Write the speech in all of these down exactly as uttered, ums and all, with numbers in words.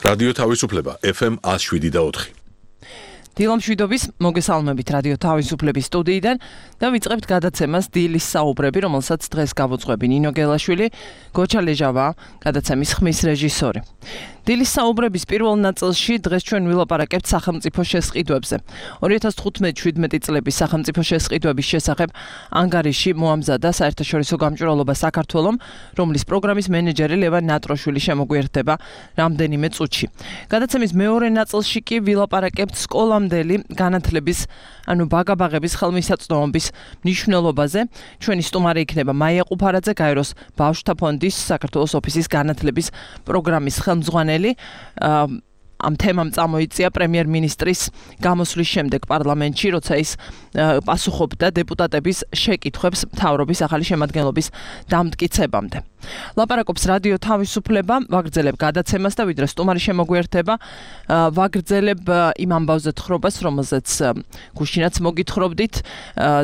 რადიო თავისუფლება ეფ ემ ათს შვიდი და ოთხი. დილამშვიდობის მოგესალმებით რადიო თავისუფლების სტუდიიდან და ვიწყებთ გადაცემას დილის საუბრები, რომელსაც დღეს გავუძღვები ნინო გელაშვილი, გოჩა ლეჟავა, გადაცემის ხმის რეჟისორი. დილის საუბრების პირველ ნაწილში დღეს ჩვენ ვილაპარაკებთ სახელმწიფო შესყიდვებზე. ორი ათას თხუთმეტი შვიდმეტი წლების სახელმწიფო შესყიდვების შესახებ ანგარიში მოამზადა საერთაშორისო გამჭვირვალობა საქართველომ, რომლის პროგრამის მენეჯერი ლევან ნატროშვილი შემოგვიერთდება რამდენიმე წუთში. გადაცემის მეორე ნაწილში კი ვილაპარაკებთ სკოლამდელი განათლების, ანუ ბაგაბაღების ხელმისაწვდომობის მნიშვნელობაზე. ჩვენი სტუმარი იქნება მაია ყუფარაძე, გაეროს ბავშვთა ფონდის საქართველოს ოფისის განათლების პროგრამის ხელმძღვანელი. ამ თემამ წამოიწია პრემიერ-მინისტრის გამოსვლის შემდეგ პარლამენტში, როცა ის პასუხობდა დეპუტატების შეკითხვებს მთავრობის ახალი შემადგენლობის დამტკიცებამდე. ლაპარაკობს რადიო თავისუფლება, ვაგრძელებ გადაცემას და ვიდრე სტუმარი შემოგვიერთება, ვაგრძელებ იმ ამბავზე თხრობას, რომელზეც გუშინაც მოგითხრობდით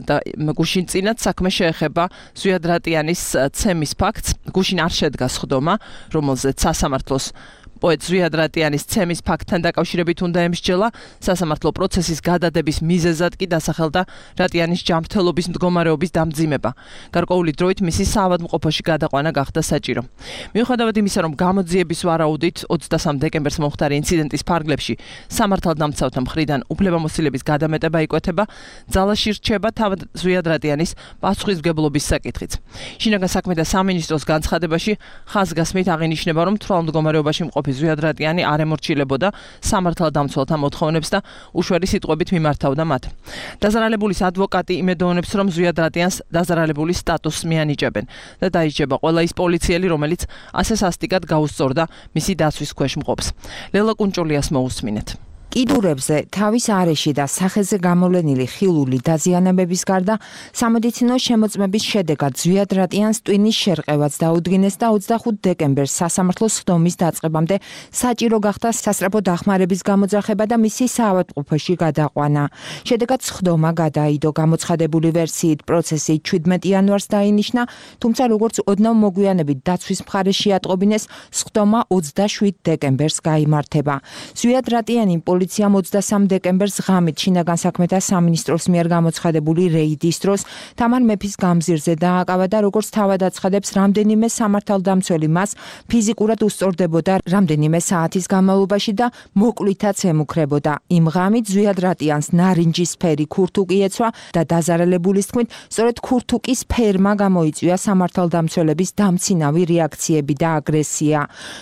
და გუშინწინაც საქმე შეეხება ზვიად რატიანის ცემის ფაქტს. გუშინ არ შედგა სხდომა, რომელზეც სასამართლოს პოეტ ზვიად რატიანის ცემის ფაქტთან დაკავშირებით უნდა ემსჯელა, სასამართლო პროცესის გადადების მიზეზად კი დასახელდა რატიანის ჯანმრთელობის მდგომარეობის დამძიმება. გარკვეული დროით მისი საავადმყოფოში გადაყვანა გახდა საჭირო. მიუხედავად იმისა, რომ გამოძიების ვარაუდით ოცდასამ დეკემბერს მომხდარი ინციდენტის ფარგლებში სამართალდამცავთა მხრიდან უფლებამოსილების გადამეტება იკვეთება, ძალაში რჩება თავად ზვიად რატიანის პასუხისმგებლობის საკითხიც. შინაგან საქმეთა სამინისტროს განცხადებაში ხაზგასმით აღინიშნება, რომ თვალმდგომარეობაში მყოფი ზვიად რატიანი არ ემორჩილებოდა სამართალდამცველთა მოთხოვნებს და უშვერი სიტყვებით მიმართავდა მათ. დაზარალებულის ადვოკატი იმედოვნებს, რომ ზვიად რატიანს დაზარალებულის სტატუსს მიანიჭებენ და დაიჭება ყველა ის პოლიციელი, რომელიც ასე სასტიკად გაუსწორდა მისი დაცვის ქვეშ მყოფს. ლელა კუნჭულიას მოусმინეთ. კიდურებზე, თავის არეში და სახეზე გამოვლენილი ხილული დაზიანებების გარდა სამედიცინო შემოწმების შედეგად ზვიად რატიანს ტვინის შერყევაც დაუდგინეს და ოცდახუთი დეკემბერს სასამართლოს სხდომის დაწყებამდე საჭირო გახდა სასწრაფო დახმარების გამოძახება და მისი საავადმყოფოში გადაყვანა. შედეგად სხდომა გადაიდო. გამოცხადებული ვერსიით პროცესი ჩვიდმეტი იანვარს დაინიშნა, თუმცა როგორც ოდნავ მოგვიანებით დაცვის მხარეს შეატყობინეს, სხდომა ოცდაშვიდ დეკემბერს გაიმართება. ზვიად რატიანი პოლიციამ ოცდასამ დეკემბერს ღამით შინაგან საქმეთა სამინისტროს მიერ გამოცხადებული რეიდის დროს თამარ მეფის გამზირზე დააკავა და როგორც თავად აცხადებს, რამდენიმე სამართალდამცველი მას ფიზიკურად უსწორდებოდა რამდენიმე საათის განმავლობაში და მოკვლიათაც ემუქრებოდა. იმ ღამით ზვიად რატიანს ნარინჯისფერი ქურთუკი ეცვა და დაზარალებულის თქმით, სწორედ ქურთუკის ფერმა გამოიწვია სამართალდამცველების დამცინავი რეაქციები და აგრესია.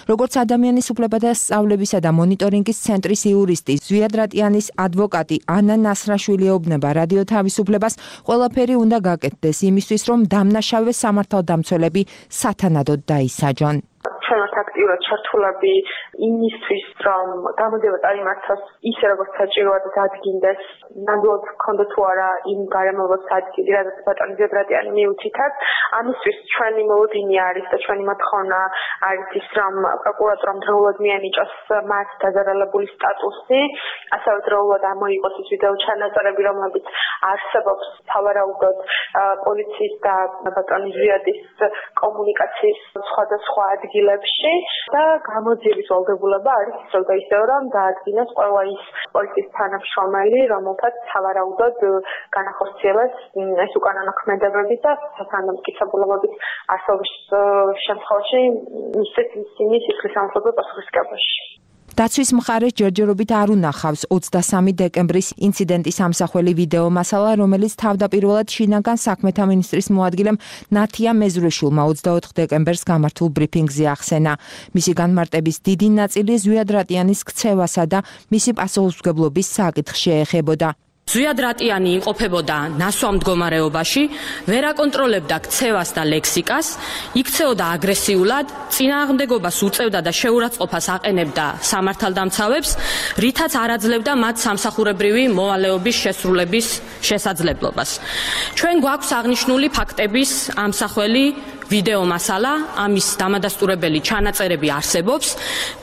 როგორც ადამიანის უფლებათა სწავლებისა და მონიტორინგის ცენტრის იურისტი ზვიად რატიანის ადვოკატი ანა ნასრაშვილი ეუბნება რადიო თავისუფლებას, ყველაფერი უნდა გაკეთდეს იმისთვის, რომ დამნაშავე სამართალდამცველები სათანადოდ დაისაჯონ. ჩვენს აქტიურად ჩართულები იმისთვის, რომ გამოძიება წარიმართოს ისე, როგორც საჭიროა და დადგინდეს, ნამდვილად ჰქონდა თუ არა იმ გარემოებას ადგილი, რადგან ბატონი ზვიად რატიანი მიუთითებს. ამისთვის ჩვენი მოლოდინი არის და ჩვენი მოთხოვნა არის ის, რომ პროკურატურამ დროულად მიანიჭოს მათ დაზარალებულის სტატუსი, ასევე დროულად ამოიღოს ის ვიდეო ჩანაწერები, რომლებიც არსებობს სავარაუდოდ პოლიციის და ბატონი ზვიადის კომუნიკაციის სხვადასხვა ადგილებში და გამოძიების ვალდებულება არის ისევ და ისევ, რომ დაადგინოს ყველა ის პოლიციის თანამშრომელი, რომელთაც სავარაუდოდ განახორციელეს ეს უკანონო ქმედებები და სასანდამტკიცებულებების არსებობის შემთხვევაში მისცეს ისინი სისხლის სამართლებრივ პასუხისმგებლობაში. დაცვის მხარეს ჯერჯერობით არ უნახავს ოცდასამი დეკემბრის ინციდენტის ამსახველი ვიდეო მასალა, რომელიც თავდაპირველად შინაგან საქმეთა მინისტრის მოადგილემ ნათია მეზრეშულმა ოცდაოთხ დეკემბერს გამართულ ბრიფინგზე ახსენა. მისი განმარტების დიდი ნაწილი ზვიად რატიანის ქცევასა და მისი პასუხისმგებლობის საკითხს შეეხებოდა. ზვიად რატიანი იმყოფებოდა ნასვამ მდგომარეობაში, ვერ აკონტროლებდა ქცევას და ლექსიკას, იქცეოდა აგრესიულად, წინააღმდეგობას უწევდა და შეურაცხყოფას აყენებდა სამართალდამცავებს, რითაც არ აძლევდა მათ სამსახურებრივი მოვალეობის შესრულების შესაძლებლობას. ჩვენ გვაქვს აღნიშნული ფაქტების ამსახველი ვიდეო მასალა, ამის დამადასტურებელი ჩანაწერები არსებობს,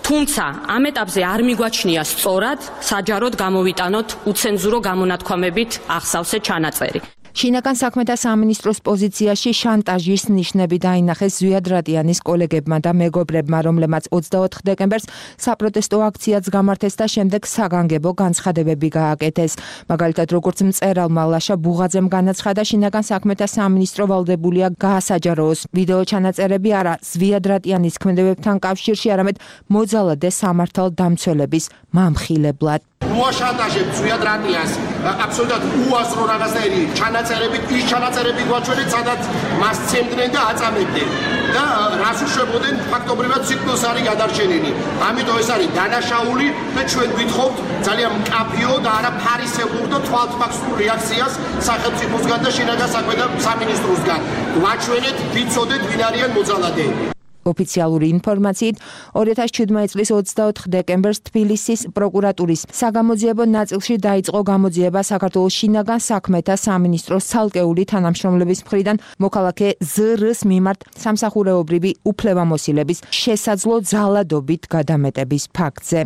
თუმცა ამ ეტაპზე არ მიგვაჩნია სწორად საჯაროდ გამოვიტანოთ უცენზურო გამონათქვამებით ახსავსე ჩანაწერი. შინაგან საქმეთა სამინისტროს პოზიციაში შანტაჟის ნიშნები დაინახეს ზვიად რატიანის კოლეგებმა და მეგობრებმა, რომლებმაც ოცდაოთხ დეკემბერს საპროტესტო აქციაც გამართეს და შემდეგ საგანგებო განცხადებები გააკეთეს. მაგალითად, როგორც მწერალმა ლაშა ბუღაძემ განაცხადა, შინაგან საქმეთა სამინისტრო ვალდებულია გაასაჯაროოს. ვიდეო ჩანაწერები არა ზვიად რატიანის ქმედებებთან კავშირში, არამედ მოძალადე სამართალდამცველების მამხილებლად. მოაშანტაჟებს ზვიად რატიანს აბსოლუტურად უაზრო რაღაცნაირი ჩანაწერები, ის ჩანაწერები გვაჩვენეთ, სადაც მას ცემდნენ და აწამებდნენ და რას უშვებოდნენ, ფაქტობრივად სიკვდილს არის გადარჩენილი. ამიტომ ეს არის დანაშაული და ჩვენ გვითხოვთ ძალიან მკაფიო და არა ფარისეულ და თვალთმაქსურ რეაქციას სახელმწიფოსგან და შინაგან საქმეთა სამინისტროსგან. გვაჩვენეთ, ვიცოდეთ, ვინ არიან მოძალადეები. ოფიციალური ინფორმაციით ორი ათას შვიდმეტი წლის ოცდაოთხ დეკემბერს თბილისის პროკურატურის საგამოძიებო ნაწილში დაიწყო გამოძიება საქართველოს შინაგან საქმეთა სამინისტროს ცალკეული თანამშრომლების მხრიდან მოქალაქე ზ-რს მიმართ სამსახურეობრივი უფლებამოსილების შესაძლო ძალადობით გადამეტების ფაქტზე.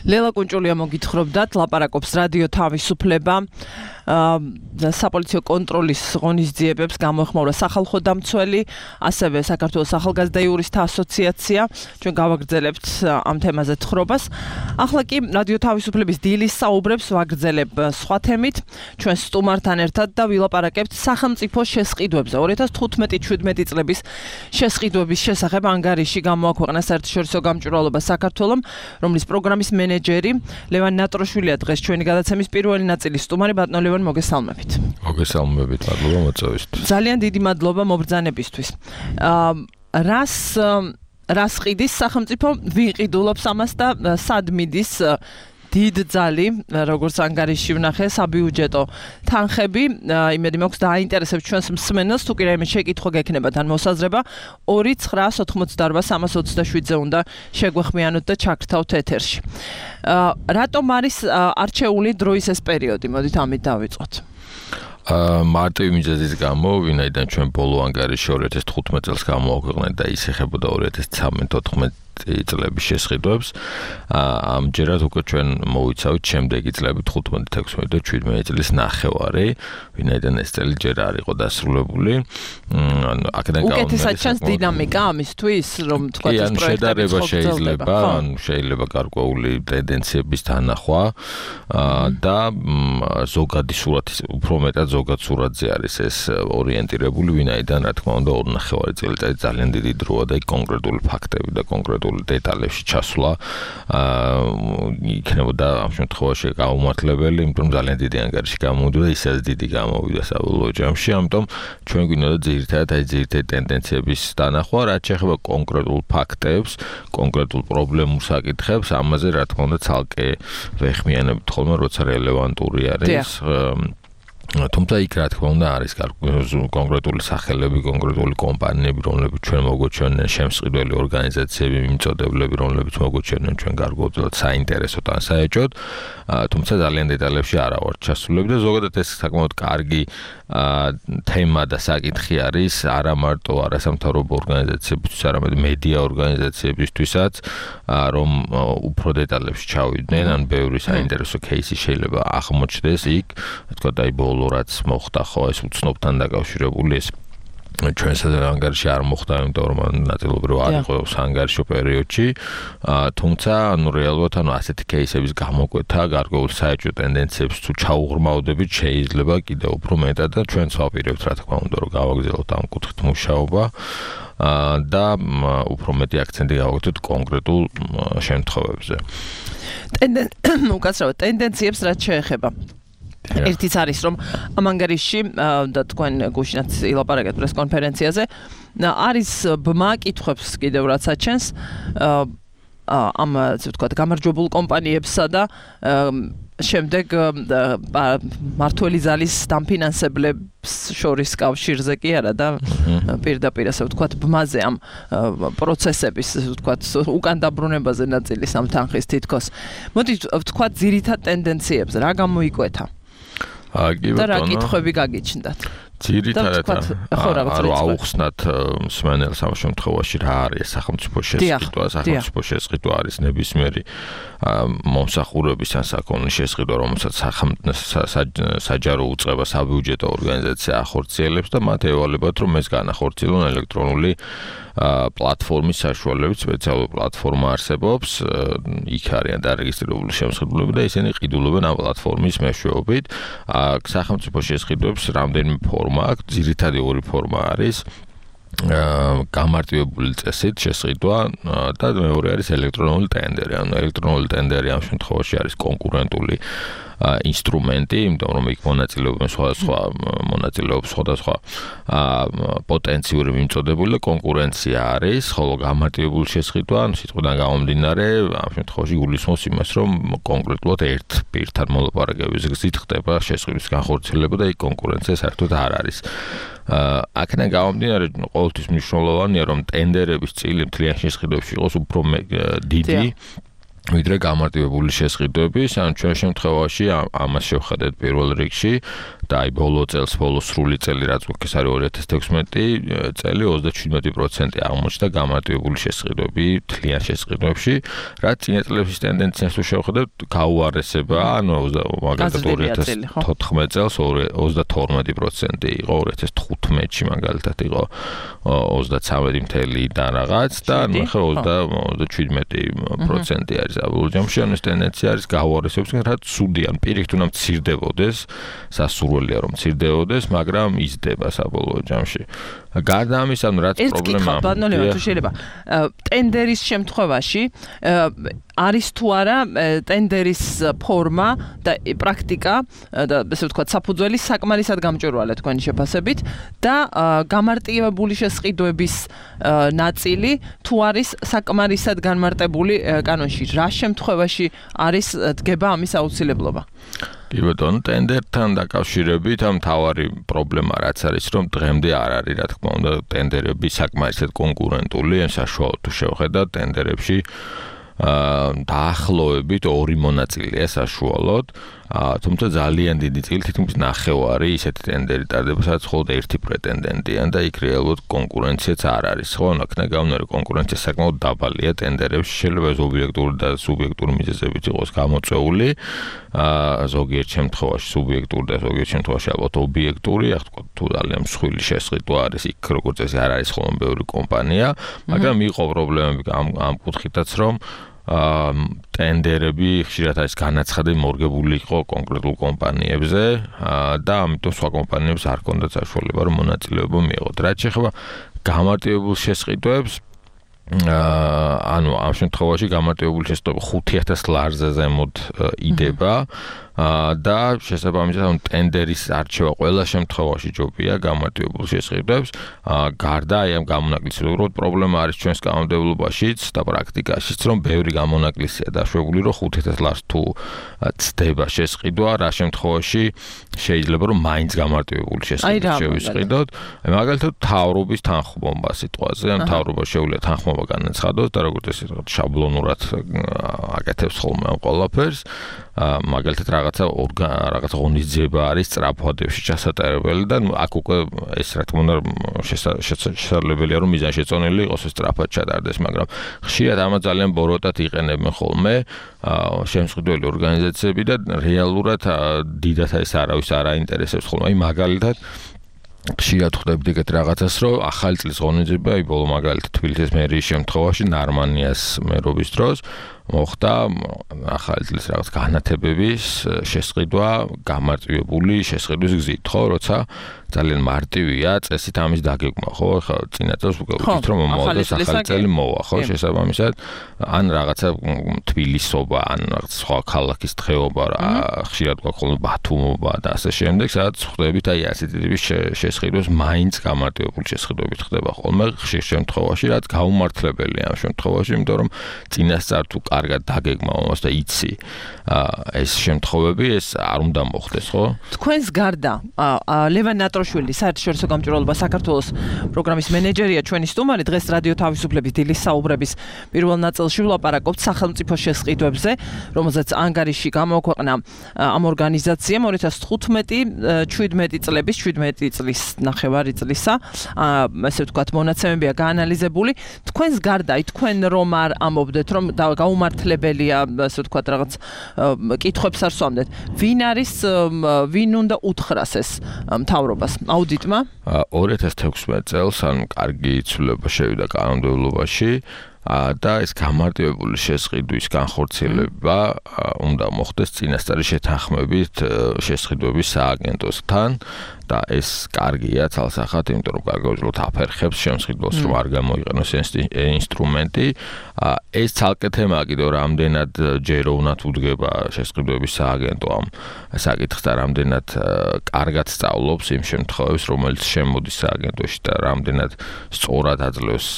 ლელა კუნჭულია მოგითხრობდათ, ლაპარაკობს რადიო თავისუფლება. საპოლიციო კონტროლის ღონისძიებებს გამოეხმაურა სახალხო დამცველი, ასევე საქართველოს ახალგაზრდა იურისტთა ასოციაცია. ჩვენ გავაგრძელებთ ამ თემაზე თხრობას. ახლა კი რადიო თავისუფლების დილის საუბრებს ვაგრძელებ სხვა თემით. ჩვენ სტუმართან ერთად და ვილაპარაკებთ სახელმწიფო შესყიდვებზე. ორი ათას თხუთმეტი შვიდმეტი წლების შესყიდვების შესახებ ანგარიში გამოაქვეყნა საერთაშორისო გამჭვირვალობა საქართველომ, რომლის პროგრამის მენეჯერი ლევან ნატროშვილია დღეს ჩვენი გადაცემის პირველი ნაწილის სტუმარი. ბატონო ლევან, მოგესალმებით. მოგესალმებით, მადლობა მოწვევისთვის. ძალიან დიდი მადლობა მობრძანებისთვის. აა რას რას ყიდის სახელმწიფო, ვინ ყიდულობს ამას და სად მიდის დიდ ძალი, როგორც ანგარიში ვნახე, საბიუჯეტო თანხები, იმედი მაქვს დააინტერესებს ჩვენს მსმენელს, თუ კი რაიმე შეკითხვა გექნება თან მოსაზრება, ორი ცხრა ოცდაოთხ სამას ოცდაშვიდზე უნდა შეგვეხმიანოთ და ჩაგრთავთ ეთერში. რატომ არის არჩეული დროის ეს პერიოდი? მოდით ამით დავიწყოთ. მარტივი მიზეზის გამო, ვინაიდან ჩვენ ბოლო ანგარიში ორი ათას თხუთმეტი წელს გამოაქვეყნეთ და ის ეხებოდა ორი ათას ცხრამეტ-ოთხმეტი წლების შესყიდვებს. ამჯერად უკვე ჩვენ მოვიცავით შემდეგი წლები თხუთმეტი, ექვსმეტი და შვიდმეტი წლის ნახევარი, ვინაიდან ეს წელი ჯერ არ იყო დასრულებული. ანუ აქედან გამომდინარე, უკეთესად ჩანს დინამიკა ამისთვის, რომ თქვა ეს პროექტები შეიძლება, ანუ შეიძლება გარკვეული ტენდენციების თანახვა და ზოგადი სურათი, უფრო მეტად ზოგად სურათზე არის ეს ორიენტირებული, ვინაიდან რა თქმა უნდა ორი ნახევარი წელიწადი ძალიან დიდი დროა და კონკრეტული ფაქტები და კონკრეტული დეტალებში ჩასვლა იქნებოდა ამ შემთხვევაში გაუმართლებელი, იმიტომ ძალიან დიდი ანგარიში გამოვიდა და ისედაც დიდი გამოვიდა საბოლოო ჯამში, ამიტომ ჩვენ გვინდოდა ძირითადად აი ძირითადი ტენდენციების დანახვა, რაც შეეხება კონკრეტულ ფაქტებს, კონკრეტულ პრობლემურ საკითხებს, ამაზე რა თქმა უნდა ცალკე ვეხმიანებით ხოლმე, როცა რელევანტური არის. თუმცა იქ რა თქმა უნდა არის კონკრეტული სახელები, კონკრეტული კომპანიები, რომლებიც ჩვენ მოგვეჩვენენ, შემსყიდველი ორგანიზაციები, მიმწოდებლები, რომლებიც მოგვეჩვენენ ჩვენ გარკვეულად საინტერესოდ ან საეჭვოდ, თუმცა ძალიან დეტალებში არა ვარ ჩასულები და ზოგადად ეს საკმაოდ კარგი თემა და საკითხი არის არა მარტო არასამთავრობო ორგანიზაციებისთვის, არამედ მედია ორგანიზაციებისთვისაც, რომ უფრო დეტალებში ჩავიდნენ, ან ბევრი საინტერესო кейსი შეიძლება აღმოჩნდეს იქ, თქვა და აი რაც მოხდა ხო ეს უცნობთან დაკავშირებული ეს ჩვენს ანგარიში არ მოხდა, იმიტომ რომ ნაწილობრივ არ იყო საანგარიშო პერიოდში, თუმცა ანუ რეალურად ანუ ასეთი кейსების გამოკვეთა გარკვეულ საეჭვო ტენდენციებს თუ ჩაუღრმავდებით შეიძლება კიდევ უფრო მეტად და ჩვენც ვაპირებთ რა თქმა უნდა რომ გავაგრძელოთ ამ კუთხით მუშაობა და უფრო მეტი აქცენტი გავაკეთოთ კონკრეტულ შემთხვევებზე. უკაცრავად ტენდენციებს რაც შეეხება. ერთიც არის რომ ამ ანგარიში და თქვენ გუშინაც ილაპარაკეთ პრესკონფერენციაზე არის ბმა კითხვებს კიდევ რაც აჩენს ამ ასე ვთქვათ გამარჯვებულ კომპანიებსა და შემდეგ მართველი ზალის დამფინანსებლებს შორის კავშირზე კი არა და პირდაპირ ასე ვთქვათ ბმაზე ამ პროცესების ასე ვთქვათ უკან დაბრუნებაზე ნაწილის ამ თანხის თითქოს. მოდი ვთქვათ ძირითად ტენდენციებზე რა გამოიკვეთა? და რა კითხვები გაგიჩნდათ? ძირითადად არ აუხსნათ მსმენელს ამ შემთხვევაში რა არის სახელმწიფო შესყიდვა, სახელმწიფო შესყიდვა არის ნებისმიერი მომსახურების ან საქონლის შესყიდვა, რომელსაც საჯარო უწყება საბიუჯეტო ორგანიზაცია ახორციელებს და მათ ევალებათ, რომ ეს განახორციელონ ელექტრონული პლატფორმის საშუალებით. სპეციალური პლატფორმა არსებობს, იქ არიან დარეგისტრირებული შემსხიდველები და ისინი ყიდულობენ ამ პლატფორმის მეშვეობით. სახელმწიფო შესყიდვებს რამდენიმე ფორმა აქვს, ძირითადი ორი ფორმა არის გამარტივებული წესით შესყიდვა და მეორე არის ელექტრონული ტენდერი. ანუ ელექტრონული ტენდერი ამ შემთხვევაში არის კონკურენტული ინსტრუმენტი, იმიტომ რომ იქ მონაწილეობენ სხვადასხვა მონაწილეობს სხვადასხვა პოტენციური მიმწოდებული და კონკურენცია არის, ხოლო გამარტივებული შესყიდვა, ანუ სიტყვიდან გამომდინარე, ამ შემთხვევაში გულისხმობს იმას, რომ კონკრეტულად ერთ პირთან მოლაპარაკების გზით ხდება შესყიდვის განხორციელება და იქ კონკურენცია საერთოდ არ არის. აქედან გამომდინარე, ყოველთვის მნიშვნელოვანია, რომ ტენდერების წილი მთლიან შესყიდვებში იყოს უფრო დიდი ვიდრე გამარტივებული შესყიდვების, ან ჩვენ შემთხვევაში ამას შევხედეთ პირველ რიგში და აი ბოლო წელს, ბოლო სრული წელი რაც გვაქვს არის ორი ათას თექვსმეტი წელი ოცდაშვიდი პროცენტი აღმოჩნდა გამარტივებული შესყიდვები მთლიან შესყიდვებში, რაც წინა წლების ტენდენციას თუ შევხედებთ, გაუარესება, ანუ მაგალითად ორი ათას თოთხმეტ წელს ოცდათორმეტი პროცენტი იყო, ორი ათას თხუთმეტში მაგალითად იყო ოცდაცამეტი და რაღაც და ნუ ხა ოცდაშვიდი პროცენტი არის. Აბულჯამში ამ ტენდენცია არის გაუარესების, რაც ცუდია, პირიქით უნდა მცირდებოდეს, სასურველია რომ მცირდებოდეს, მაგრამ იზრდება საბოლოო ჯამში. გარდა ამისა, რაც პრობლემა ეს ბატონო ლევან თუ შეიძლება ტენდერის შემთხვევაში არის თუ არა ტენდერის ფორმა და პრაქტიკა და ესე ვთქვათ საფუძველი საკმარისად გამჭვირვალე თქვენი შეფასებით და გამარტივებული შესყიდვების ნაწილი თუ არის საკმარისად განმარტებული კანონში, რა შემთხვევაში არის დგება ამის აუცილებლობა? კი ბატონო, ტენდერთან დაკავშირებით ამ თავარი პრობლემა რაც არის, რომ დღემდე არ არის, რა თქმა უნდა, ტენდერები საკმარისად კონკურენტული, ან საშუალოდ თუ შევხედათ ტენდერებში დაახლოებით ორი მონაწილეა საშუალოდ, თუმცა ძალიან დიდი წილი თითქმის ნახევარი ისეთი ტენდერი ტარდება, სადაც მხოლოდ ერთი პრეტენდენტია და იქ რეალურად კონკურენციაც არ არის. ხო, აქნა გამნარი კონკურენცია საკმაოდ დაბალია ტენდერებში, შეიძლება ეს ობიექტური და სუბიექტური მიზეზებით იყოს გამოწვეული, ზოგიერთ შემთხვევაში სუბიექტური და ზოგიერთ შემთხვევაში ალბათ ობიექტური, ახ თქვა თუ ძალიან მსხვილი შესყიდვა არის, იქ როგორც წესი არ არის ხოლმე ბევრი კომპანია, მაგრამ იყო პრობლემები ამ ამ კუთხითაც, რომ ტენდერები ხშირად არის განაცხადები მორგებული იყო კონკრეტულ კომპანიებზე და ამიტომ სხვა კომპანიებს არ ჰქონდათ საშუალება რომ მონაწილეობა მიეღოთ. რაც შეეხება გამარტივებულ შესყიდვებს, ანუ ამ შემთხვევაში გამარტივებული შესყიდვა ხუთი ათას ლარზე ზემოთ იდება და შესაბამისად ამ ტენდერის არჩევა ყველა შემთხვევაში ჯობია გამარტივებულ შესყიდვებს. გარდა აი ამ გამონაკლისის, უბრალოდ პრობლემა არის ჩვენს კანონმდებლობაშიც და პრაქტიკაშიც, რომ ბევრი გამონაკლისია დაშვებული, რომ ხუთი ათას ლარს თუ ცდება შესყიდვა, რა შემთხვევაში შეიძლება რომ მაინც გამარტივებული შესყიდვა შევისყიდოთ. აი მაგალითად მთავრობის თანხმობა სიტყვაზე, ან მთავრობა შეუძლია თანხმობა განაცხადოს და როგორც ეს შაბლონურად აკეთებს ხოლმე ამ ყველაფერს, მაგალითად რაღაცა რაღაცა ღონისძიება არის სწრაფვადებში ჩასატარებელი და აქ უკვე ეს რა თქმა უნდა შესაძლებელია რომ მიზანშეწონილი იყოს ეს სწრაფად ჩატარდეს, მაგრამ ხშირად ამას ძალიან ბოროტად იყენებენ ხოლმე შემსყიდველი ორგანიზაციები და რეალურად დიდათ ეს არავის არ აინტერესებს ხოლმე. აი მაგალითად ხშირად ხვდებით ეგეთ რაღაცას, რომ ახალი წლის ღონისძიება, აი ბოლო მაგალითად თბილისის მერიის შემთხვევაში ნარმანიას მერობის დროს მოხდა ახალი წლის რაღაც განათებების შესყიდვა გამარტივებული შესყიდვის გზით, ხო, როცა ძალიან მარტივია წესით ამის დაგეგმა, ხო, ხა წინა წელს ვუყურებთ რომ მომავალს ახალი წელი მოვა, ხო, შესაბამისად ან რაღაცა თბილისობა, ან რაღაც სხვა ქალაქის დღეობა, ხშირად გვაქვს ხოლმე ბათუმობა და ასე შემდეგ, სადაც ხვდებით აი ასეთი ტიპის შესყიდვებს მაინც გამარტივებული შესყიდვებით ხდება ხოლმე ხშირ შემთხვევაში, რაც გაუმართლებელია ამ შემთხვევაში, იმიტომ რომ წინასწარ თუ კარგად დაგეგმა მომას და იცი ეს შემთხვევები ეს არ უნდა მოხდეს, ხო? თქვენს გარდა ლევან ნატროშვილი საერთაშორისო გამჭვირვალობა საქართველოს პროგრამის მენეჯერია ჩვენი სტუმარი დღეს რადიო თავისუფლების დილის საუბრების პირველ ნაწილში ვლაპარაკობთ სახელმწიფო შესყიდვებზე, რომელზეც ანგარიში გამოაქვეყნა ამ ორგანიზაციამ ორი ათას თხუთმეტი შვიდმეტი წლების შვიდმეტი წლის ნახევარი წლისა ესე ვთქვათ მონაცემებია გაანალიზებული. თქვენს გარდა თქვენ რომ არ ამობდეთ რომ გაუმართლებელია ასე ვთქვათ რაღაც კითხვებს არ სვამდეთ. ვინ არის ვინ უნდა უთხრას ეს მთავრობას აუდიტმა? ორი ათას თექვსმეტი წელს ან კარგი ცვლილება შევიდა კანონმდებლობაში და ეს გამარტივებული შესყიდვის განხორციელება უნდა მოხდეს წინასწარი შეთანხმებით შესყიდვების სააგენტოსთან და ეს კარგია თალსახად, იმიტომ რომ გაგაუძლოთ აფერხებს შემსყიდველს რომ არ გამოიყენოს ინსტრუმენტი. ეს ცალკე თემა კიდევ რამდენად ჯეროვნად უდგება შესყიდვების სააგენტო ამ საკითხს და რამდენად კარგად სწავლობს იმ შემთხვევებს, რომელიც შემოდის სააგენტოში და რამდენად სწორად აძლევს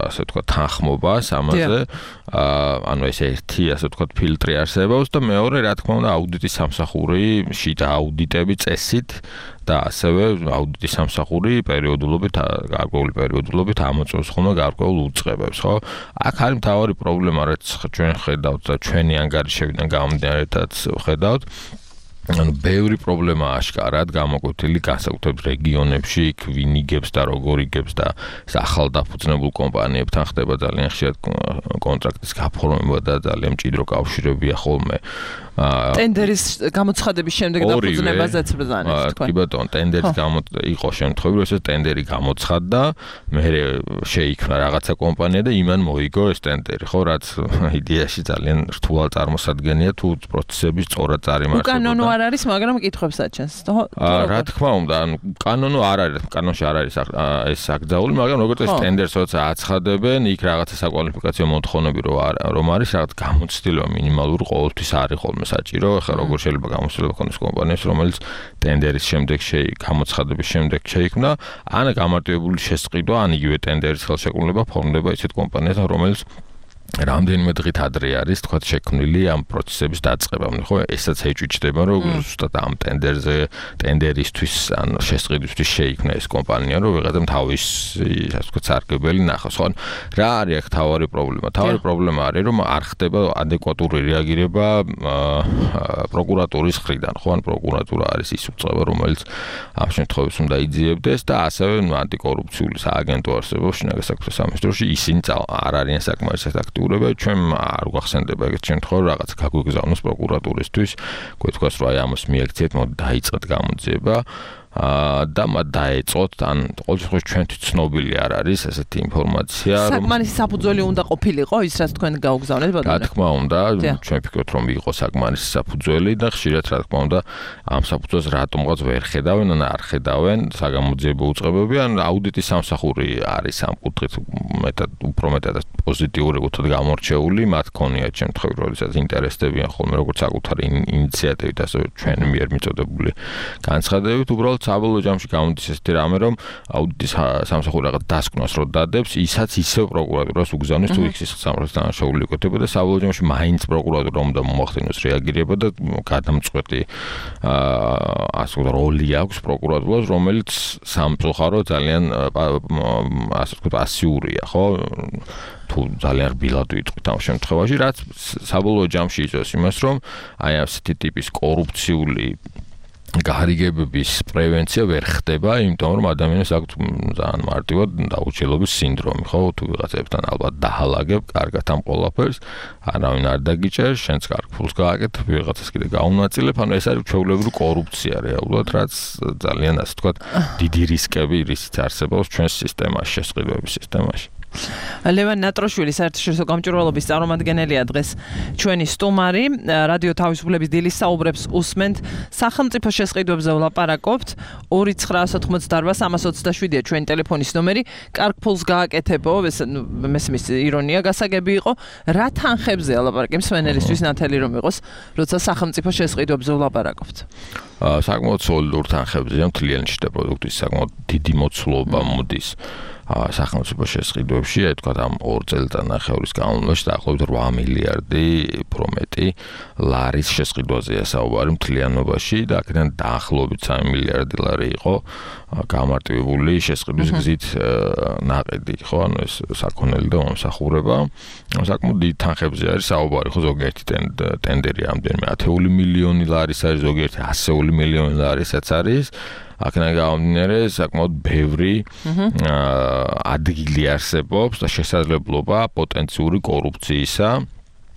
ასე ვთქვათ თანხმობას ამაზე. ანუ ეს ერთი ასე ვთქვათ ფილტრი არსებობს და მეორე რა თქმა უნდა აუდიტის სამსახური შიდა აუდიტები წესით და ასევე აუდიტის სამსახური პერიოდულობით გარკვეული პერიოდულობით ამოწმებს ხოლმე გარკვეულ უწყებებს, ხო? აქ არის მთავარი პრობლემა, რაც ჩვენ ხედავთ და ჩვენი ანგარიშებიდან გამომდინარეთაც ხედავთ. ანუ ბევრი პრობლემა აშკარად გამოკვეთილი განსაკუთრებით რეგიონებში, ვინ იგებს და როგორ იგებს და ახალ დაფუძნებულ კომპანიებთან ხდება ძალიან ხშირად კონტრაქტის გაფორმება და ძალიან მჭიდრო კავშირებია ხოლმე. ტენდერის გამოცხადების შემდეგ დაფუძნებაზეც ბრძანეთ თქვენ. კი ბატონო, ტენდერის გამო იყო შემთხვევები, როდესაც ტენდერი გამოცხადდა, მე შეიქმნა რაღაცა კომპანია და იმან მოიგო ეს ტენდერი, ხო, რაც იდეაში ძალიან რთულად წარმოსადგენია თუ პროცესები სწორად წარიმართებოდა. უკანონო არ არის, მაგრამ კითხვებს აჩენს, ხო? რა თქმა უნდა, ანუ კანონო არ არის, კანონში არ არის ეს აკრძალული, მაგრამ როგორც ეს ტენდერს როცა აცხადებენ, იქ რაღაცა საკვალიფიკაციო მოთხოვნები რომ არის, რაღაც გამოცდილება მინიმალური ყოველთვის არის ხოლმე საჭირო. ახლა როგორ შეიძლება გამოცდილება ქონდეს კომპანიას, რომელიც ტენდერის შემდეგ გამოცხადების შემდეგ შეიქმნა, ან გამარტივებული შესყიდვა, ან იგივე ტენდერის ხელშეკრულება ფორმდება ისეთ კომპანიასთან, რომელიც რამდენიმე დღით ადრე არის, თქვათ, შექმნილი ამ პროცესების დაწყებამდე, ხო? ესაც ეჭვიჭდება, რომ ზუსტად ამ ტენდერზე, ტენდერისთვის, ან შესყიდვისთვის შეიქმნა ეს კომპანია, რომ ვიღაცამ თავისი, ასე ვთქვათ, სარგებელი ნახოს, ხო? რა არის აქ თავარი პრობლემა? თავარი პრობლემა არის, რომ არ ხდება ადეკვატური რეაგირება პროკურატურის მხრიდან, ხო? ან პროკურატურა არის ის უწყება, რომელიც ამ შემთხვევებში უნდა იძიებდეს და ასევე ანტიკორუფციული სააგენტო არსებობს შინაგან საქმეთა სამინისტროში, ისინი არ არიან საკმარისად აქტიური. ჩვენ არ გვახსენდება ეგეთ შემთხვევაში რაღაც გაგვიგზავნოს პროკურატურისთვის, გვეთქვას რომ აი ამას მიექციეთ, მოდი დაიწყეთ გამოძიება. და მათ დაეწოთ, ან ყოველ შემთხვევაში ჩვენთვის ცნობილი არ არის ესეთი ინფორმაცია, რომ საკმარისი საფუძველი უნდა ყოფილიყო ის, რაც თქვენ გაუგზავნეთ, ბატონო. რა თქმა უნდა, ჩვენ ვფიქრობთ, რომ იყო საკმარისი საფუძველი და ხშირად რა თქმა უნდა, ამ საფუძველს რატომღაც ვერ ხედავენ, ან არ ხედავენ საგამოძიებო უწყებები, ან აუდიტის სამსახური არის ამ კუთხით მეტად უფრო მეტად პოზიტიური კუთხით გამორჩეული, მათ ქონიათ შემთხვევები, როდესაც ინტერესდებიან ხოლმე როგორც საკუთარი ინიციატივით, ასევე ჩვენ მიერ მიწოდებული განცხადებებით, უბრალოდ საბოლოო ჯამში გამოდის ესეთი რამე, რომ აუდიტის სამსახური რაღაც დასკვნას რო დადებს, ისაც ისევ პროკურატურას უგზავნის, თუ იქ ის სამართლის დანაშაული იკეთება და საბოლოო ჯამში მაინც პროკურატურა უნდა მომახდინოს რეაგირება და გადამწყვეტი ასე ვთქვათ როლი აქვს პროკურატურას, რომელიც სამწუხარო ძალიან ასე ვთქვათ პასიურია, ხო? თუ ძალიან რბილად ვიტყვით ამ შემთხვევაში, რაც საბოლოო ჯამში იწვევს იმას, რომ აი ასეთი ტიპის კორუფციული გარიგებების პრევენცია ვერ ხდება, იმიტომ რომ ადამიანებს აქვთ ძალიან მარტივად დაუჩილობის სინდრომი, ხო? თუ ვიღაცებთან ალბათ დაჰალაგებ, კარგად ამ ყველაფერს, არავინ არ დაგიჭერს, შენც კარგ ფულს გააკეთებ, ვიღაცას კიდე გაუნაწილებ, ანუ ეს არის ჩვეულებრივი კორუფცია რეალურად, რაც ძალიან ასე ვთქვათ, დიდი რისკები რისიც არსებობს ჩვენს სისტემაში, შესყიდვების სისტემაში. ლევან ნატროშვილი საერთაშორისო გამჭვირვალობის წარმომადგენელია დღეს ჩვენი სტუმარი. რადიო თავისუფლების დილის საუბრებს უსმენთ. სახელმწიფო შესყიდვებზე ვლაპარაკობთ. ორი ცხრა ათოთხმოცდაარბა სამას ოცდაშვიდია ჩვენი ტელეფონის ნომერი. კარგ ფულს გააკეთებო, მესმის ირონია გასაგები იყო. რა თანხებზე ლაპარაკი მსმენელისთვის ნათელი რომ იყოს, როცა სახელმწიფო შესყიდვებზე ვლაპარაკობთ? საკმაოდ სოლიდურ თანხებზეა, მთლიანი შიდა პროდუქტის საკმაოდ დიდი მოცულობა მოდის. სახელმწიფო შესყიდვებში, აი თქვა ამ ორ წელიწადნახევრის განმავლობაში დაახლოებით ორი მილიარდი უფრო მეტი ლარის შესყიდვაზეა საუბარი მთლიანობაში და აქედან დაახლოებით სამი მილიარდი ლარი იყო გამარტივებული შესყიდვის გზით ნაყიდი, ხო, ანუ ეს საქონელი და მომსახურება. საკმაოდ დიდ თანხებზე არის საუბარი, ხო, ზოგიერთი ტენდერი ამდენიმე ათეული მილიონი ლარის არის, ზოგიერთი ასეული მილიონი ლარისაც არის. აქედან გამომდინარე, საკმაოდ ბევრი ადგილი არსებობს და შესაძლებლობა პოტენციური კორუფციისა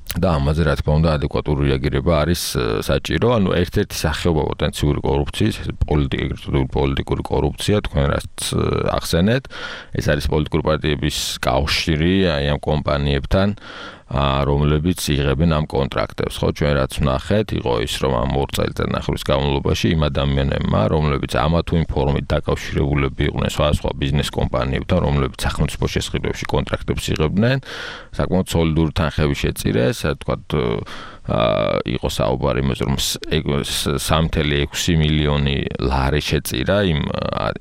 და ამაზე რა თქმა უნდა ადეკვატური რეაგირება არის საჭირო. ანუ ერთ-ერთი სახეობა პოტენციური კორუფციის, პოლიტიკური პოლიტიკური კორუფცია, თქვენ რაც ახსენეთ, ეს არის პოლიტიკური პარტიების კავშირი აი ამ კომპანიებთან, რომლებიც იღებენ ამ კონტრაქტებს, ხო, ჩვენ რაც ვნახეთ, იყო ის, რომ ამ ორ წელიწადნახევრის განმავლობაში იმ ადამიანებმა, რომლებიც ამა თუ იმ ფორმით დაკავშირებულები იყვნენ სხვადასხვა ბიზნეს კომპანიებთან, რომლებიც სახელმწიფო შესყიდვებში კონტრაქტებს იღებდნენ, საკმაოდ სოლიდური თანხები შეწირეს, თქვათ იყო საუბარი იმაზე, რომ სამი წელი ექვსი მილიონი ლარი შეწირა იმ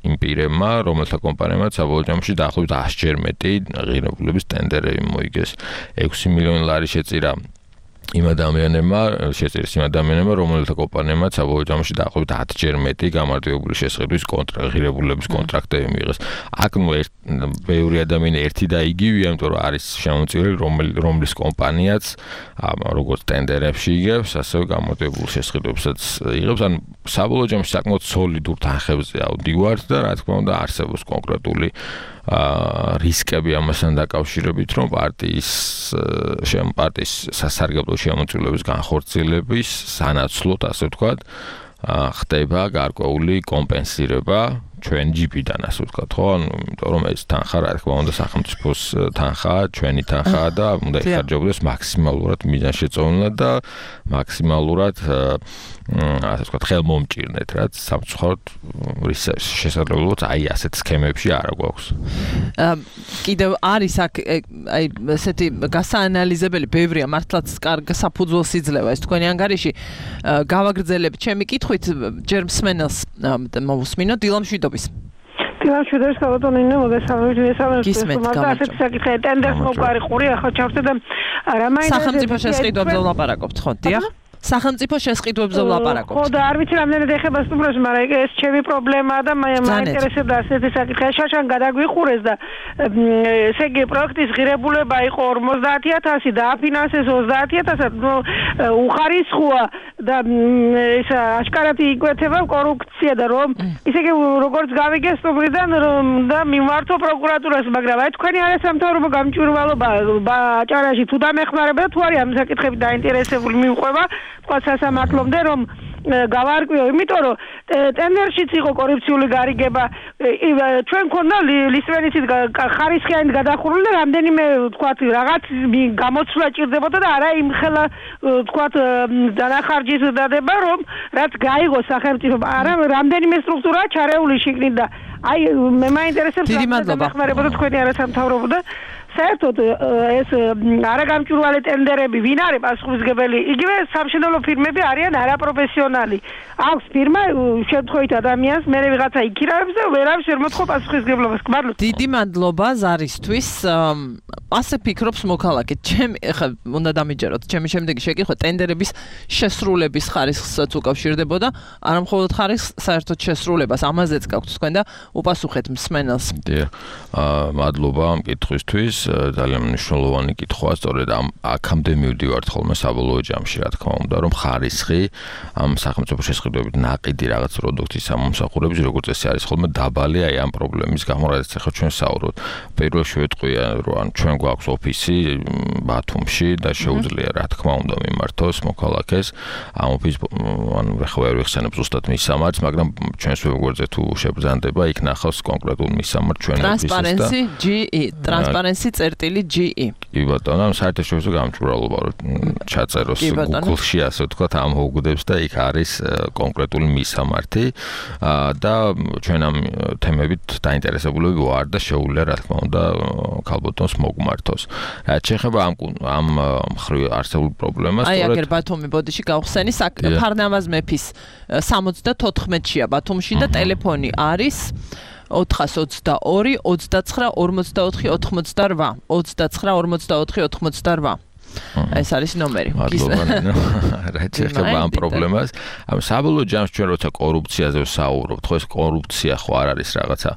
იმ პირებმა, რომელთა კომპანიებმა საბოლოო ჯამში დაახლოებით ასჯერ მეტი ღირებულების ტენდერები მოიგეს. ექვსი მილიონი ლარი შეწირა იმ ადამიანებმა, შეწირეს იმ ადამიანებმა, რომელთა კომპანიებმა საბოლოო ჯამში დაახლოებით ათჯერ მეტი გამარტივებული შესყიდვის კონტრაქტი, ღირებულების კონტრაქტები მიიღეს. აქ ნუ ბევრი ადამიანი ერთი და იგივეა, იმიტომ რომ არის შემომწირელი, რომლის კომპანიაც როგორც ტენდერებში იგებს, ასევე გამარტივებულ შესყიდვებსაც იღებს. ანუ საბოლოო ჯამში საკმაოდ სოლიდურ თანხებზე ავდივართ და რა თქმა უნდა არსებობს კონკრეტული რისკები ამასთან დაკავშირებით, რომ პარტიის შემ პარტიის სასარგებლო შემოწირულობის განხორციელების სანაცვლოდ, ასე ვთქვათ, ხდება გარკვეული კომპენსირება ჩვენ ჯიპიდან, ასე ვთქვათ, ხო? ანუ იმიტომ რომ ეს თანხა, რა თქმა უნდა, სახელმწიფოს თანხაა, ჩვენი თანხაა და უნდა იხარჯებოდეს მაქსიმალურად მიზანშეწონილად და მაქსიმალურად ასე ვთქვათ, ხელმომჭირნეთ, რაც სამწუხაროდ შესაძლებლობაც აი ასეთ სქემებში არ გვაქვს. კიდევ არის აქ აი ესეთი გასაანალიზებელი ბევრია, მართლაც კარგ საფუძველს იძლევა ეს თქვენი ანგარიში. გავაგრძელებ ჩემი კითხვით, ჯერ მსმენელს მოვუსმინოთ, დილა მშვიდობის. დილა მშვიდობის, ქალბატონო ინო, მოგესალმებით, მოგესალმებით. ასეთი საკითხი ტენდერს მოყარი ყური ახლა ჩავხდე და რა მაინც სახელმწიფო შესყიდვებზე ვლაპარაკობთ, ხო? დიახ. სახელმწიფო შესყიდვებზე ვლაპარაკობთ. ხო და არ ვიცი რამდენად ეხება სტუმრებს, მაგრამ ეს ჩემი პრობლემაა და მაინტერესებდა ასეთი საკითხი. შაშან გადაგვიხურეს და ესე იგი პროექტის ღირებულება იყო ორმოცდაათი ათასი და აფინანსეს ოცდაათი ათასად. უხარისხოა და ეს აშკარად იკვეთება კორუფცია და რომ ისე იგი როგორც გავიგე სტუმრიდან და მიმართო პროკურატურას, მაგრამ აი თქვენი არასამთავრობო გამჭვირვალობა აჭარაში თუ დამეხმარება თუ არის ამ საკითხებით დაინტერესებული მიყვება თქვა სასამართლომდე რომ გავარკვიო, იმიტომ რომ ტენდერშიც იყო კორუფციული გარიგება, ჩვენ ქონდა ლისტვენიცით ხარისხიანი გადახურული და რამდენიმე თქვა რაღაც გამოცვლა ჭირდებოდა და არა იმ ხელა თქვა დანახარჯის დადება, რომ რაც გაიგო სახელმწიფო, არა რამდენიმე სტრუქტურაა ჩარეული შიგნით და აი მე მაინტერესებს დამეხმარებოდა თქვენი არასამთავრობო და საერთოდ ეს არაგამჭვირვალე ტენდერები ვინ არის პასუხისმგებელი? იგივე სამშენებლო ფირმები არიან არაპროფესიონალი. აქვს ფირმა შემთხვევით ადამიანს მე ვიღაცა იქირავებს და ვერავის ვერ მოთხოვ პასუხისმგებლობას. მადლობა. დიდი მადლობა ზარისთვის. ასე ფიქრობს მოქალაქე. ჩემი ხა უნდა დამიჯეროთ. ჩემი შემდეგი შეკითხვა ტენდერების შესრულების ხარისხსაც უკავშირდებოდა, არა მხოლოდ ხარისხს, საერთოდ შესრულებას. ამაზეც გაქვთ თქვენ და უპასუხეთ მსმენელს. დიახ. მადლობა ამ კითხვისთვის. ძალიან მნიშვნელოვანი კითხვაა, სწორედ ამ აქამდე მივდივართ ხოლმე საბოლოო ჯამში, რა თქმა უნდა, რომ ხარისხი ამ სახელმწიფო შესყიდვებით ნაყიდი რაღაც პროდუქტის ამომსახურების, როგორც ეს არის ხოლმე დაბალი აი ამ პრობლემის გამო, რაც ახლა ჩვენ საუბრობთ. პირველში ვეტყვია, რომ ან ჩვენ გვაქვს ოფისი ბათუმში და შეუძლია, რა თქმა უნდა, მიმართოს მოქალაქეს ამ ოფისს, ანუ ახლა ვერ ვიხსენებ ზუსტად მის სამართს, მაგრამ ჩვენს ვებგვერდზე თუ შეგზანდება, იქ ნახავს კონკრეტულ მის სამართ ჩვენ ოფისს და Transparency ჯი ი Transparency წერტილი ჯი ი. კი ბატონო, ამ საერთაშორისო გამჭვირვალობა რომ ჩაწეროს Google-ში, ასე ვთქვათ, ამ მოგვდებს და იქ არის კონკრეტული მისამართი და ჩვენ ამ თემებით დაინტერესებულები ვარ და შეუძლია, რა თქმა უნდა, ქალბატონს მოგმართოს. რაც შეეხება ამ ამ მხრივ არსებულ პრობლემას, აი აგერ ბათუმი ბოდიში გავხსენი, ფარნავაზ მეფის სამოცდათოთხმეტშია ბათუმში და ტელეფონი არის ოთხას ოცდაორი, ოცდაცხრა, ორმოცდაოთხი, ოთხმოცდარვა, ოცდაცხრა, ორმოცდაოთხი, ოთხმოცდარვა. ეს არის ნომერი. მადლობა. რა შეიძლება ამ პრობლემას? ამ საბოლოო ჯამში ჩვენ როცა კორუფციაზე ვსაუბრობთ, ხო ეს კორუფცია ხო არ არის რაღაცა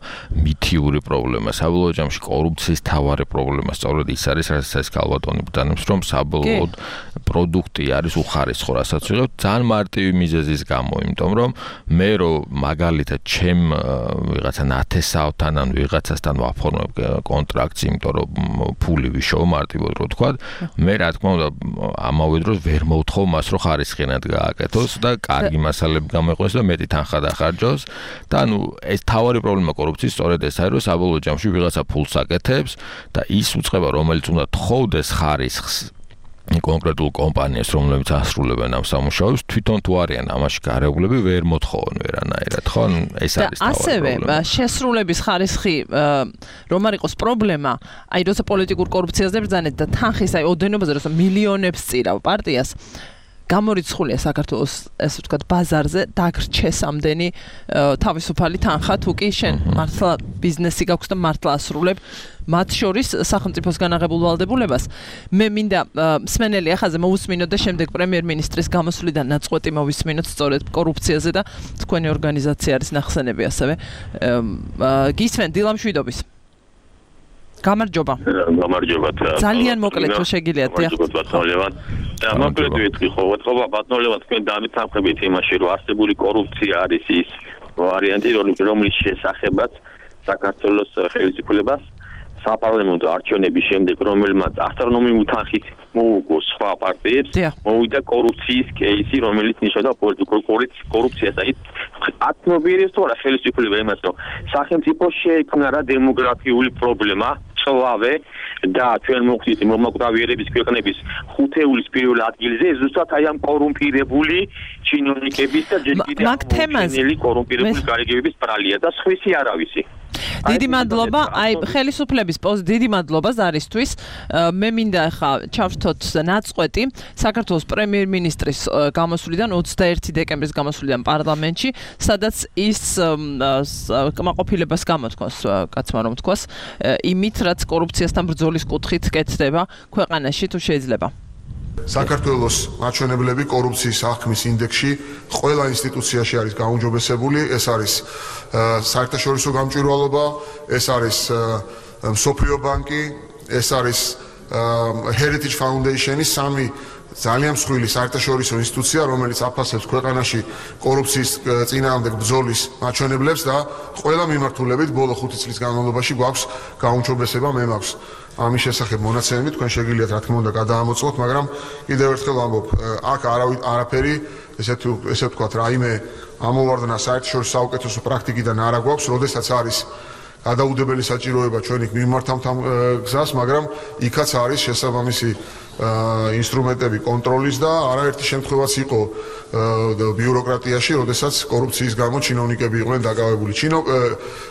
მითიური პრობლემა. საბოლოო ჯამში კორუფციის თავარი პრობლემა სწორედ ის არის, რასაც ეს ქალბატონი ბრძანებს, რომ საბოლოოდ პროდუქტი არის უხარისხო, რასაც ვიღებ ძალიან მარტივი მიზეზის გამო, იმიტომ რომ მე რო მაგალითად ჩემ ვიღაცა ნათესავთან ან ვიღაცასთან ვაფორმებ კონტრაქტს, იმიტომ რომ ფული ვიშოვ მარტივად რო თქვა, მე რა თქმა უნდა ამავე დროს ვერ მოვთხოვ მას რომ ხარისხიანად გააკეთოს და კარგი მასალები გამოიყვანოს და მეტი თანხა დახარჯოს და ანუ ეს თავარი პრობლემა კორუფციის სწორედ ეს არის რომ საბოლოო ჯამში ვიღაცა ფულს აკეთებს და ის უწყება რომელიც უნდა თხოვდეს ხარისხს კონკრეტულ კომპანიას რომლებიც ასრულებენ ამ სამუშაოებს თვითონ თუ არიან ამაში გარეგულები ვერ მოთხოვენ ვერანაირად ხო ეს არის თავი ასევე შესრულების ხარისხი რომ არ იყოს პრობლემა აი როცა პოლიტიკურ კორუფციაზე ბრძანეთ და თანხის აი ოდენობაზე როცა მილიონებს წირავ პარტიას გამორიცხულია საქართველოს ესე ვთქვათ ბაზარზე დაგრჩეს ამდენი თავისუფალი თანხა თუ კი შენ მართლა ბიზნესი გაქვს და მართლა ასრულებ მათ შორის სახელმწიფოსგან აღებულ ვალდებულებას მე მინდა მსმენელი ახაზე მოусმინოთ და შემდეგ პრემიერ-მინისტრის გამოსვლიდან ნაწყვეტი მოვისმინოთ სწორედ კორუფციაზე და თქვენი ორგანიზაცია არის ნახსენები ასევე გისმენ დილამშვიდობის გამარჯობა გამარჯობა ძალიან მოკლედ თუ შეგიძლიათ და მოკლედ ვიტყვი ხო ვეთქობა ბატონობა თქვენ დამეთანხმებით იმაში რომ არსებული კორუფცია არის ის ვარიანტი რომლის შესახებაც საქართველოს ხელისუფლებას საპარლამენტო არჩევნების შემდეგ რომელმაც ასტრონომიული თანხით მოუგო სხვა პარტიებს მოვიდა კორუფციის კეისი რომელიც ნიშნავდა პოლიტიკურ კორუფციას და ათნობიერებს თორა ხელისუფლება იმას რომ სახელმწიფო შეიქმნა რა დემოგრაფიული პრობლემა წლავე და ჩვენ მოხდით მომაკვდავიერების ქვეყნების ხუთეულის პირველ ადგილზე ზუსტად აი ამ კორუმპირებული ჩინოვნიკების და ჯერ კიდევ კორუმპირებული გარიგებების ბრალია და სხვისი არავისი დიდი მადლობა აი ხელისუფლების პოზ დიდი მადლობა ზარისთვის მე მინდა ახლა ჩავშთოთ ნაწყვეტი საქართველოს პრემიერ-მინისტრის გამოსვლიდან ოცდაერთი დეკემბრის გამოსვლიდან პარლამენტში სადაც ის კმაყოფილებას გამოთქვას კაცმა რომ თქვას იმით რაც კორუფციასთან ბრძოლის კუთხით კეთდება ქვეყანაში თუ შეიძლება საქართველოს მაჩვენებლები კორუფციის აღქმის ინდექსში ყველა ინსტიტუციაში არის გაუმჯობესებული ეს არის საერთაშორისო გამჭვირვალობა ეს არის მსოფლიო ბანკი ეს არის Heritage Foundation-ის სამი ძალიან მსხვილი საერთაშორისო ინსტიტუცია რომელიც აფასებს ქვეყანაში კორუფციის წინააღმდეგ ბრძოლის მაჩვენებლებს და ყველა მიმართულებით ბოლო ხუთი წლის განმავლობაში გვაქვს გაუმჯობესება მე მაქვს ამის შესახებ მონაცემები თქვენ შეგიძლიათ რა თქმა უნდა გადაამოწმოთ მაგრამ კიდევ ერთხელ ვამბობ აქ არავით არაფერი ესე თუ ესე ვთქვათ რაიმე ამოვარდნა საერთაშორისო საუკეთესო პრაქტიკიდან არ აგვაქვს როდესაც არის გადაუდებელი საჭიროება ჩვენ იქ მიმართავთ ამ გზას მაგრამ იქაც არის შესაბამისი ინსტრუმენტები კონტროლის და არაერთი შემთხვევაც იყო ბიუროკრატიაში, როდესაც კორუფციის გამო ჩინოვნიკები იყვნენ დაკავებული.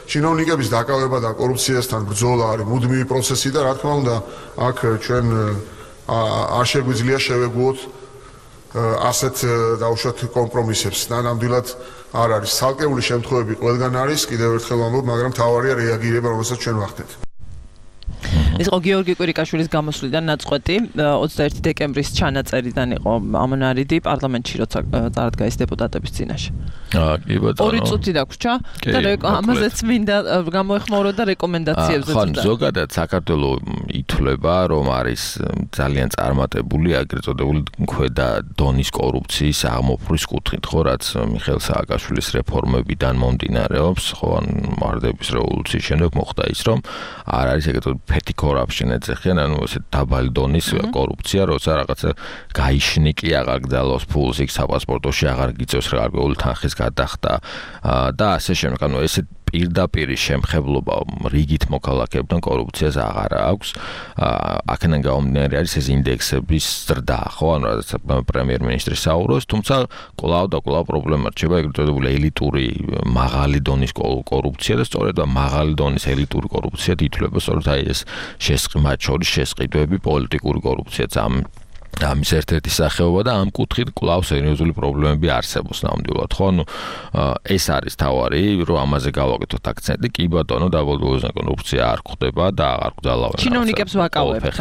ჩინოვნიკების დაკავება და კორუფციასთან ბრძოლა არის მუდმივი პროცესი და რა თქმა უნდა, აქ ჩვენ არ შეგვიძლია შევეგუოთ ასეთ დაუშვათ კომპრომისებს. და ნამდვილად არ არის ცალკეული შემთხვევები ყველგან არის, კიდევ ერთხელ ვამბობ, მაგრამ თავარია რეაგირება, რომელსაც ჩვენ ვახდენთ. ეს იყო გიორგი კვირიკაშვილის გამოსვლიდან ნაწყვეტი ოცდაერთი დეკემბრის ჩანაწერიდან იყო ამონარიდი პარლამენტში როცა წარადგა ის დეპუტატების წინაშე. აა კი ბატონო. ორი წუთი დაგვრჩა და ამაზეც მინდა გამოეხმაურო და რეკომენდაციებზეც. ხო, ზოგადად საქართველო ითვლება რომ არის ძალიან წარმატებული აგრეთ წოდებული ქვედა დონის კორუფციის აღმოფხვის კუთხით, ხო, რაც მიხეილ სააკაშვილის რეფორმებიდან მომდინარეობს, ხო, ან მարտების რევოლუციის შემდეგ მოხდა ის რომ არ არის ეგრეთ ფეთი corruption ეძახიან, ანუ ესე დაბალი დონის კორუფცია, როცა რაღაცა გაიშნიკი აღარ გძალოს ფულს იქ საპასპორტოში აღარ გიწევს გარკვეული თანხის გადახდა და ასე შემდეგ. ანუ ესე პირდაპირ შემხებლობა რიგით მოქალაქეებთან კორუფციას აღარ აქვს. აქედან გამომდინარე არის ეს ინდექსების ზრდა, ხო, ანუ რაც პრემიერ-მინისტრის საუბრობს, თუმცა კვლავ და კვლავ პრობლემა რჩება ეგრეთ წოდებული ელიტური მაღალი დონის კორუფცია და სწორედ მაღალი დონის ელიტური კორუფცია ითვლება სწორედ აი ეს შესყიდვები, მათ შორის შესყიდვები პოლიტიკური კორუფციაც ამ ამის ერთ-ერთი სახეობა და ამ კუთხით კვლავ სერიოზული პრობლემები არსებობს ნამდვილად, ხო? ნუ ეს არის თავარი, რომ ამაზე გავაკეთოთ აქცენტი. კი ბატონო, დაბოლოებაზე კორუფცია არ ხდება და აღარ გძალავენ. ჩინოვნიკებს ვაკავებთ.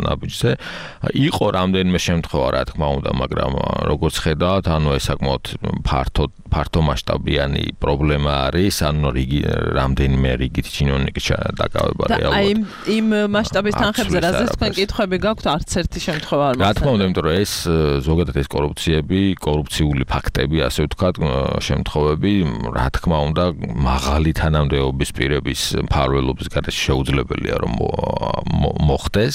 ნაბიჯზე. იყო რამდენიმე შემთხვევა, რა თქმა უნდა, მაგრამ როგორც ხედავთ, ანუ ეს საკმაოდ ფართო ფართო მასშტაბიანი პრობლემა არის, ანუ რიგი რამდენიმე რიგით ჩინოვნიკის დაკავება რეალურად. აი იმ მასშტაბის თანხებზე რაზეც თქვენ კითხვები გაქვთ, არც ერთი შემთხვევა არ რა თქმა უნდა, იმიტომ რომ ეს ზოგადად ეს კორუფციები, კორუფციული ფაქტები, ასე ვთქვათ, შემთხვევები, რა თქმა უნდა, მაღალი თანამდებობის პირების მფარველობის გარეშე შეუძლებელია რომ მოხდეს.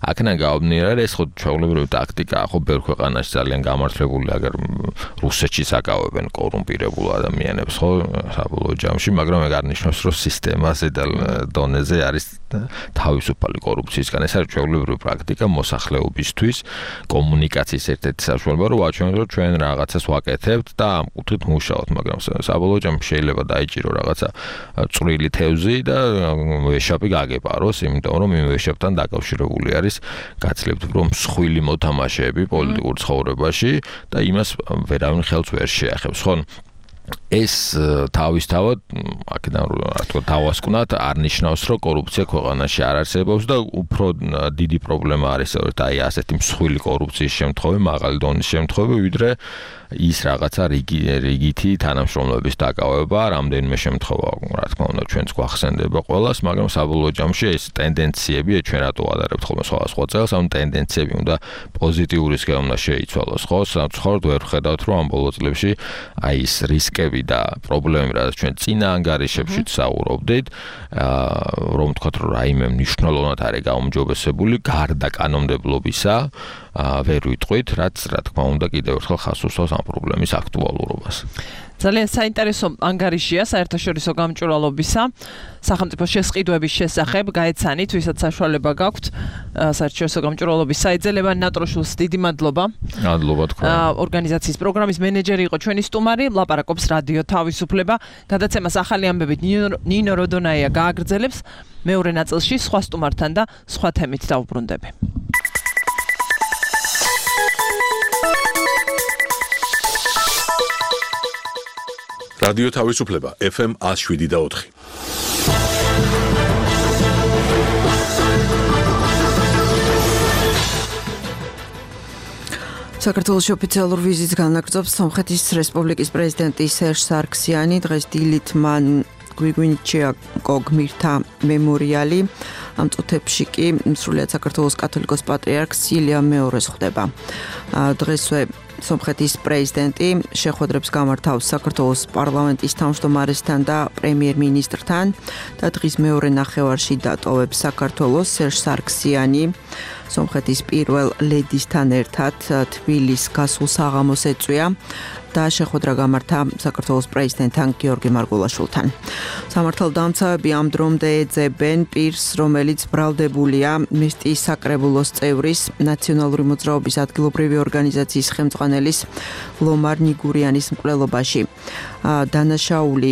აქედან გამომდინარე, ეს ხო ჩვეულებრივი ტაქტიკაა, ხო ბევრ ქვეყანაში ძალიან გამართლებული, აგერ რუსეთში საკავებენ კორუმპირებულ ადამიანებს, ხო, საბოლოო ჯამში, მაგრამ ეგ არ ნიშნავს, რომ სისტემა ზედა დონეზე არის თავისუფალი კორუფციისგან. ეს არის ჩვეულებრივი პრაქტიკა მოსახლეობისთვის. კომუნიკაციის ერთ-ერთი საშუალება რომ ვაჩვენოთ რომ ჩვენ რაღაცას ვაკეთებთ და ამ კუთხით მუშაობთ, მაგრამ საბოლოო ჯამში შეიძლება დაიჭირო რაღაცა წვრილი თევზი და ვეშაპი გაგეპაროს, იმიტომ რომ იმ ვეშაპთან დაკავშირებული არის გაცილებით უფრო მსხვილი მოთამაშეები პოლიტიკურ ცხოვრებაში და იმას ვერავინ ხელს ვერ შეახებს, ხო? ეს თავისთავად აქედან რა თქმა უნდა დავასკვნათ არ ნიშნავს რომ კორუფცია ქვეყანაში არ არსებობს და უფრო დიდი პრობლემა არის სწორედ აი ასეთი მსხვილი კორუფციის შემთხვევები, მაღალი დონის შემთხვევები, ვიდრე ის რაღაცა რიგი რიგითი თანამშრომლობის დაკავება, რამდენიმე შემთხვევა, რა თქმა უნდა, ჩვენც გვახსენდება ყველას, მაგრამ საბოლოო ჯამში ეს ტენდენციები, ჩვენ რატო ვადარებთ ხოლმე სხვადასხვა წელს, ამ ტენდენციები უნდა პოზიტიურისკენ უნდა შეიცვალოს, ხო? საერთოდ ვერ ხედავთ, რომ ამ ბოლო წლებში აი ეს რისკები და პრობლემები, რაც ჩვენ წინა ანგარიშებში საუბრობდით, რომ თქვათ, რომ რაიმე მნიშვნელოვნად არის გაუმჯობესებული, გარდა კანონმდებლობისა, ვერ ვიტყვით, რაც რა თქმა უნდა კიდევ ერთხელ ხაზს უსვამს ამ პრობლემის აქტუალურობას. ძალიან საინტერესო ანგარიშია საერთაშორისო გამჭვირვალობისა სახელმწიფო შესყიდვების შესახებ, გაეცანით, ვისაც საშუალება გაქვთ საერთაშორისო გამჭვირვალობის საიძელებან ნატროშულს დიდი მადლობა. მადლობა თქვენ. ორგანიზაციის პროგრამის მენეჯერი იყო ჩვენი სტუმარი, ლაპარაკობს რადიო თავისუფლება. გადაცემას ახალი ამბებით ნინო როდონაია გააგრძელებს. მეორე ნაწილში სხვა სტუმართან და სხვა თემით დავუბრუნდები. რადიო თავისუფლება ეფ ემ one oh seven და four. საქართველოს ოფიციალურ ვიზიტს განაგრძობს სომხეთის რესპუბლიკის პრეზიდენტი სერჟ სარქსიანი. დღეს დილით მან გვიგვინჩიაკო გმირთა მემორიალი. ამ წუთებში კი სრულიად საქართველოს კათოლიკოს პატრიარქს ილია მეორეს ხვდება. დღესვე სომხეთის პრეზიდენტი შეხვედრებს გამართავს საქართველოს პარლამენტის თავმჯდომარესთან და პრემიერ-მინისტრთან და დღის მეორე ნახევარში დატოვებს საქართველოს სერჟ სარქსიანი სომხეთის პირველ ლედისთან ერთად თბილისს გასულ საღამოს ეწვია და შეხვედრა გამართა საქართველოს პრეზიდენტთან გიორგი მარგულაშვილთან. სამართალდამცავები ამ დრომდე ეძებენ პირს, რომელიც ბრალდებულია მისტიის საკრებულოს წევრის, ნაციონალური მოძრაობის ადგილობრივი ორგანიზაციის ხელმძღვანელის ლომარ ნიგურიანის მკვლელობაში. დანაშაული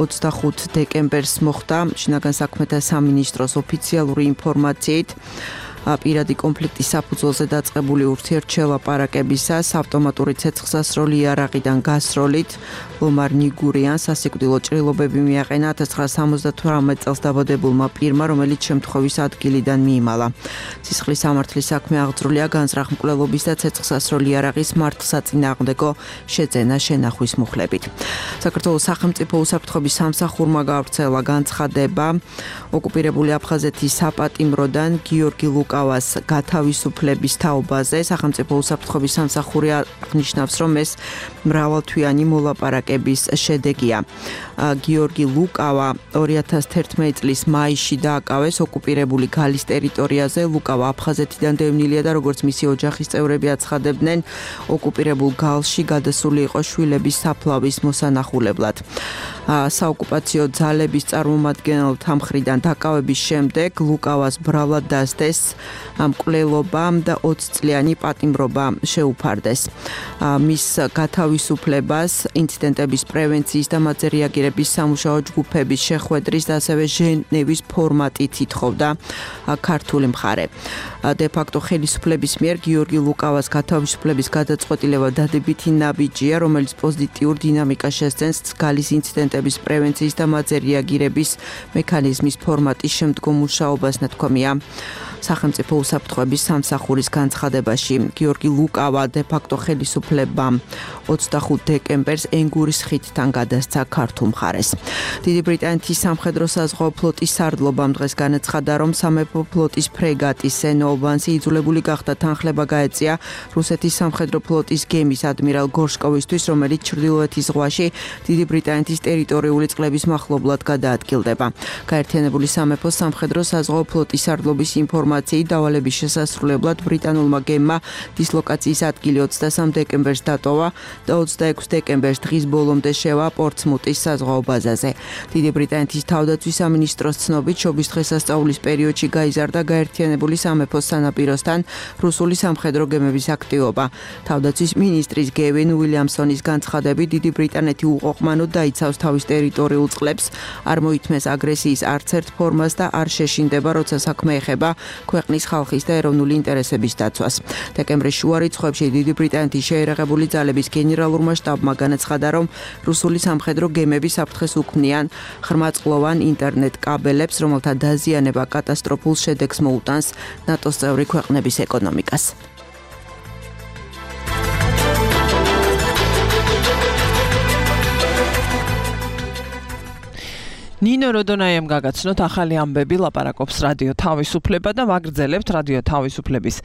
ოცდახუთ დეკემბერს მოხდა შინაგან საქმეთა სამინისტროს ოფიციალური ინფორმაციით. პირადი კონფლიქტის საფუძველზე დაწყებული ურთიერთშელაპარაკებისას ავტომატური ცეცხლსასროლი იარაღიდან გასროლით ლომარ ნიგურიანს სასიკვდილო ჭრილობები მიაყენა ათას ცხრაასი სამოცდათვრამეტ წელს დაბადებულმა პირმა, რომელიც შემთხვევის ადგილიდან მიიმალა. სისხლის სამართლის საქმე აღძრულია განზრახ მკვლელობის და ცეცხლსასროლი იარაღის მართლსაწინააღმდეგო შეძენა შენახვის მუხლებით. საქართველოს სახელმწიფო უსაფრთხოების სამსახურმა გავრცელა განცხადება ოკუპირებული აფხაზეთის საპატიმროდან გიორგი ლუკავას გათავისუფლების თაობაზე. სახელმწიფო უსაფრთხოების სამსახური აღნიშნავს, რომ ეს მრავალთვიანი მოლაპარაკების შედეგია. გიორგი ლუკავა ორი ათას თერთმეტი წლის მაისში დააკავეს ოკუპირებული გალის ტერიტორიაზე. ლუკავა აფხაზეთიდან დევნილია და როგორც მისი ოჯახის წევრები აცხადებდნენ, ოკუპირებულ გალში გადასული იყო შვილების საფლავის მოსანახულებლად. საოკუპაციო ძალების წარმომადგენელთა მხრიდან დაკავების შემდეგ ლუკავას ბრალად დასდეს მკვლელობა და ოცი წლიანი პატიმრობა შეუფარდეს. მის გათავისუფლებას ინციდენტების პრევენციის და მათზე რეაგირების სამუშაო ჯგუფების შეხვედრის და ასევე ჟენევის ფორმატით ითხოვდა ქართული მხარე. დე-ფაქტო ხელისუფლების მიერ გიორგი ლუკავას გათავისუფლების გადაწყვეტილება დადებითი ნაბიჯია, რომელიც პოზიტიურ დინამიკას შესცემს გალის ინციდენტების პრევენციის და მათზე რეაგირების მექანიზმის ფორმატის შემდგომ მუშაობას, ნათქვამია სახელმწიფო უსაფრთხოების სამსახურის განცხადებაში. გიორგი ლუკავა დე-ფაქტო ხელისუფლებამ ოცდახუთ დეკემბერს ენგურის ხიდთან გადასცა ქართულ მხარეს. დიდი ბრიტანეთის სამხედრო საზღვაო ფლოტის სარდლობამ დღეს განაცხადა, რომ სამეფო ფლოტის ფრეგატი სენოუბანსი იძულებული გახდა თანხლება გაეწია რუსეთის სამხედრო ფლოტის გემის ადმირალ გორშკოვისთვის, რომელიც ჩრდილოეთის ზღვაში დიდი ბრიტანეთის ტერიტორიული წყლების მახლობლად გადაადგილდება. გაერთიანებული სამეფოს სამხედრო საზღვაო ფლოტის სარდლობის ინფორმაციით დავალების შესასრულებლად ბრიტანულმა გემმა დისლოკაციის ადგილი ოცდასამ დეკემბერს დატოვა და ოცდაექვსი დეკემბერს დღის ბოლომდე შევა პორტსმუტის საზღვაო ბაზაზე. დიდი ბრიტანეთის თავდაცვის სამინისტროს ცნობით, შობის დღესასწაულის პერიოდში გაიზარდა გაერთიანებული სამეფოს სანაპიროსთან რუსული სამხედრო გემების აქტივობა. თავდაცვის მინისტრის გევინ უილიამსონის განცხადებით, დიდი ბრიტანეთი უყოყმანოდ დაიცავს თავის ტერიტორიულ წყლებს, არ მოითმეს აგრესიის არც ერთ ფორმას და არ შეშინდება, როცა საქმე ეხება ქვეყნის ხალხის და ეროვნული ინტერესების დაცვას. დეკემბრის შუა რიცხვებში დიდი ბრიტანეთის შეერაღებული ძალების გენერალურმა შტაბმა განაცხადა, რომ რუსული სამხედრო გემები საფრთხეს უქმნიან ღრმაწყლოვან ინტერნეტ კაბელებს, რომელთა დაზიანება კატასტროფულ შედეგს მოუტანს ნატოს წევრი ქვეყნების ეკონომიკას. ნინო როდონაიამ გაგაცნოთ ახალი ამბები, ლაპარაკობს რადიო თავისუფლება და ვაგრძელებთ რადიო თავისუფლების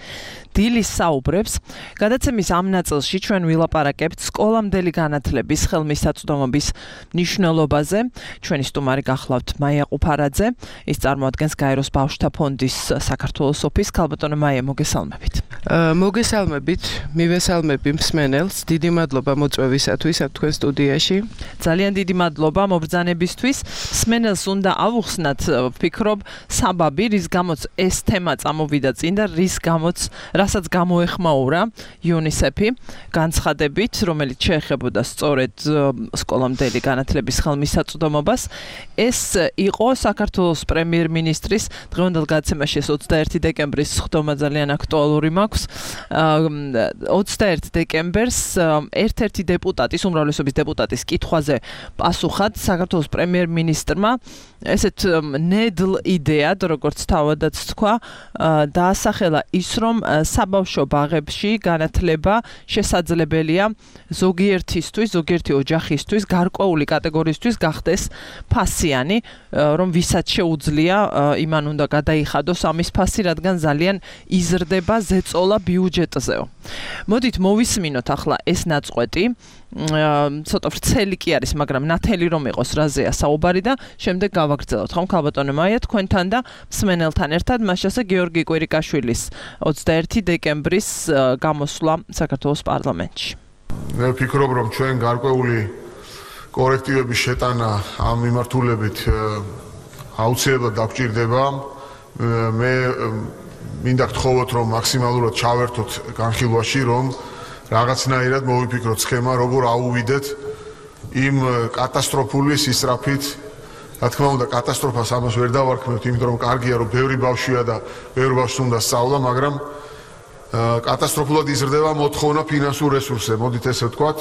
დილის საუბრებს. გადაცემის ამ ნაწილში ჩვენ ვილაპარაკებთ სკოლამდელი განათლების ხელმისაწვდომობის მნიშვნელობაზე. ჩვენი სტუმარი გახლავთ მაია ყუფარაძე, ის წარმოადგენს გაეროს ბავშვთა ფონდის საქართველოს ოფისს. ქალბატონო მაია, მოგესალმებით. მოგესალმებით, მივესალმები მსმენელს. დიდი მადლობა მოწვევისათვის აქ თქვენ სტუდიაში. ძალიან დიდი მადლობა მობრძანებისთვის. მსმენელს უნდა ავუხსნათ, ვფიქრობ, საბაბი, რის გამოც ეს თემა წამოვიდა წინ და რის გამოც, რასაც გამოეხმაურა იუნისეფი განცხადებით, რომელიც შეეხებოდა სწორედ სკოლამდელი განათლების ხელმისაწვდომობას. ეს იყო საქართველოს პრემიერ-მინისტრის დღევანდელ გადაცემაში ოცდაერთი დეკემბრის სხდომა ძალიან აქტუალური მაქვს. ოცდაერთი დეკემბერს ერთ-ერთი დეპუტატის, უმრავლესობის დეპუტატის კითხვაზე პასუხად საქართველოს პრემიერ-მინისტრმა ესეთ ნედლ იდეად, როგორც თავადაც თქვა, დაასახელა ის, რომ საბავშვო ბაღებში განათლება შესაძლებელია ზოგიერთისთვის, ზოგიერთი ოჯახისთვის, გარკვეული კატეგორიისთვის გახდეს ფასიანი, რომ ვისაც შეუძლია, იმან უნდა გადაიხადოს ამის ფასი, რადგან ძალიან იზრდება ზეწოლა ბიუჯეტზეო. მოდით მოვისმინოთ ახლა ეს ნაწყვეტი. ცოტა ვრცელი კი არის, მაგრამ ნათელი რომ იყოს რაზეა საუბარი და შემდეგ გავაგრძელოთ. ხომ ქალბატონო მაია თქვენთან და მსმენელთან ერთად, მასშტაბზე გიორგი კვირიკაშვილის ოცდაერთი დეკემბრის გამოსვლა საქართველოს პარლამენტში. მე ვფიქრობ, რომ ჩვენ გარკვეული კორექტივების შეტანა ამ მიმართულებით აუცილებლად დაგვჭირდება. მე მინდა გთხოვოთ, რომ მაქსიმალურად ჩავერთოთ განხილვაში, რომ რაღაცნაირად მოვიფიქროთ სქემა, როგორ აუვიდეთ იმ კატასტროფული სისწრაფით. რა თქმა უნდა, კატასტროფას ამას ვერ დავარქმევთ, იმიტომ რომ კარგია, რომ ბევრი ბავშვია და ბევრი ბავშვს უნდა სწავლა, მაგრამ კატასტროფულად იზრდება მოთხოვნა ფინანსურ რესურსზე, მოდით ესე ვთქვათ,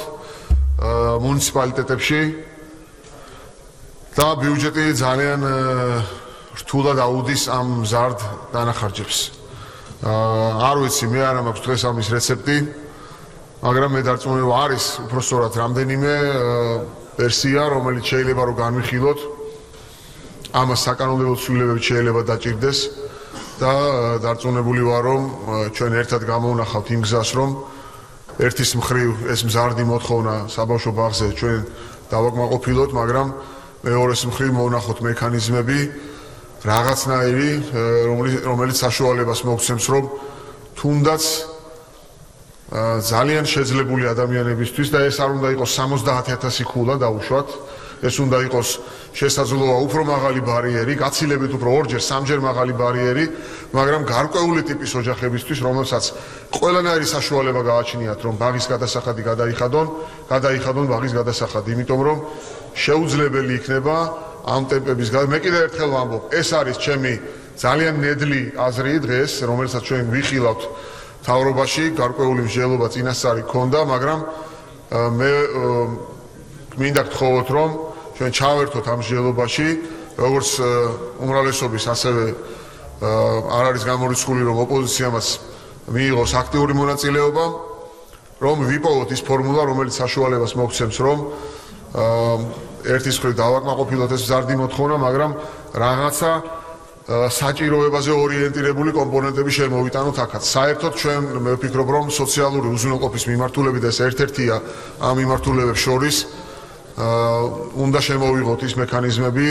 მუნიციპალიტეტებში და ბიუჯეტი ძალიან რთულად აუდის ამ მზარდ დანახარჯებს. არ ვიცი, მე არ მაქვს დღეს ამის რეცეპტი, მაგრამ მე დარწმუნებული არის უпростоრად რამდენიმე ვერსია, რომელიც შეიძლება რომ განვიხილოთ. ამას საკანონმდებლო ცვლილებები შეიძლება დაჭირდეს და დარწმუნებული ვარ, რომ ჩვენ ერთად გამოვნახავთ იმ გზას, რომ ერთის მხრივ ეს მზარდი მოთხოვნა საბავშვო ბაღზე ჩვენ დავაკმაყოფილოთ, მაგრამ მეორეს მხრივ მოვნახოთ მექანიზმები რაღაცნაირი, რომელიც საშუალებას მოგცემს, რომ თუნდაც ძალიან შეძლებული ადამიანებისთვის და ეს არ უნდა იყოს სამოცდაათი ათასი ქულა დაუშვათ, ეს უნდა იყოს შესაძლოა უფრო მაღალი ბარიერი, გაცილებით უფრო ორჯერ, სამჯერ მაღალი ბარიერი, მაგრამ გარკვეული ტიპის ოჯახებისთვის, რომელსაც ყველანაირი საშუალება გააჩნიათ, რომ ბაღის გადასახადი გადაიხადონ, გადაიხადონ ბაღის გადასახადი, იმიტომ რომ შეუძლებელი იქნება ამ ტემპების გა. მე კიდევ ერთხელ ვამბობ, ეს არის ჩემი ძალიან ნედლი აზრი დღეს, რომელსაც ჩვენ ვიხილავთ თავრობაში, გარკვეული მსჯელობა წინასწარი ქონდა, მაგრამ მე მინდა გთხოვოთ, რომ ჩვენ ჩავერთოთ ამ მსჯელობაში, როგორც უმრავლესობის, ასევე არ არის გამორიცხული, რომ ოპოზიციამაც მიიღოს აქტიური მონაწილეობა, რომ ვიპოვოთ ის ფორმულა, რომელიც საშუალებას მოგცემს, რომ ერთის მხრივ დავაკმაყოფილოთ ეს მზარდი მოთხოვნა, მაგრამ რაღაცა საჭიროებაზე ორიენტირებული კომპონენტები შემოვიტანოთ აქაც. საერთოდ ჩვენ მე ვფიქრობ, რომ სოციალური უზრუნველყოფის მიმართულებით ეს ერთ-ერთია ამ მიმართულებებს შორის უნდა შემოვიღოთ ის მექანიზმები,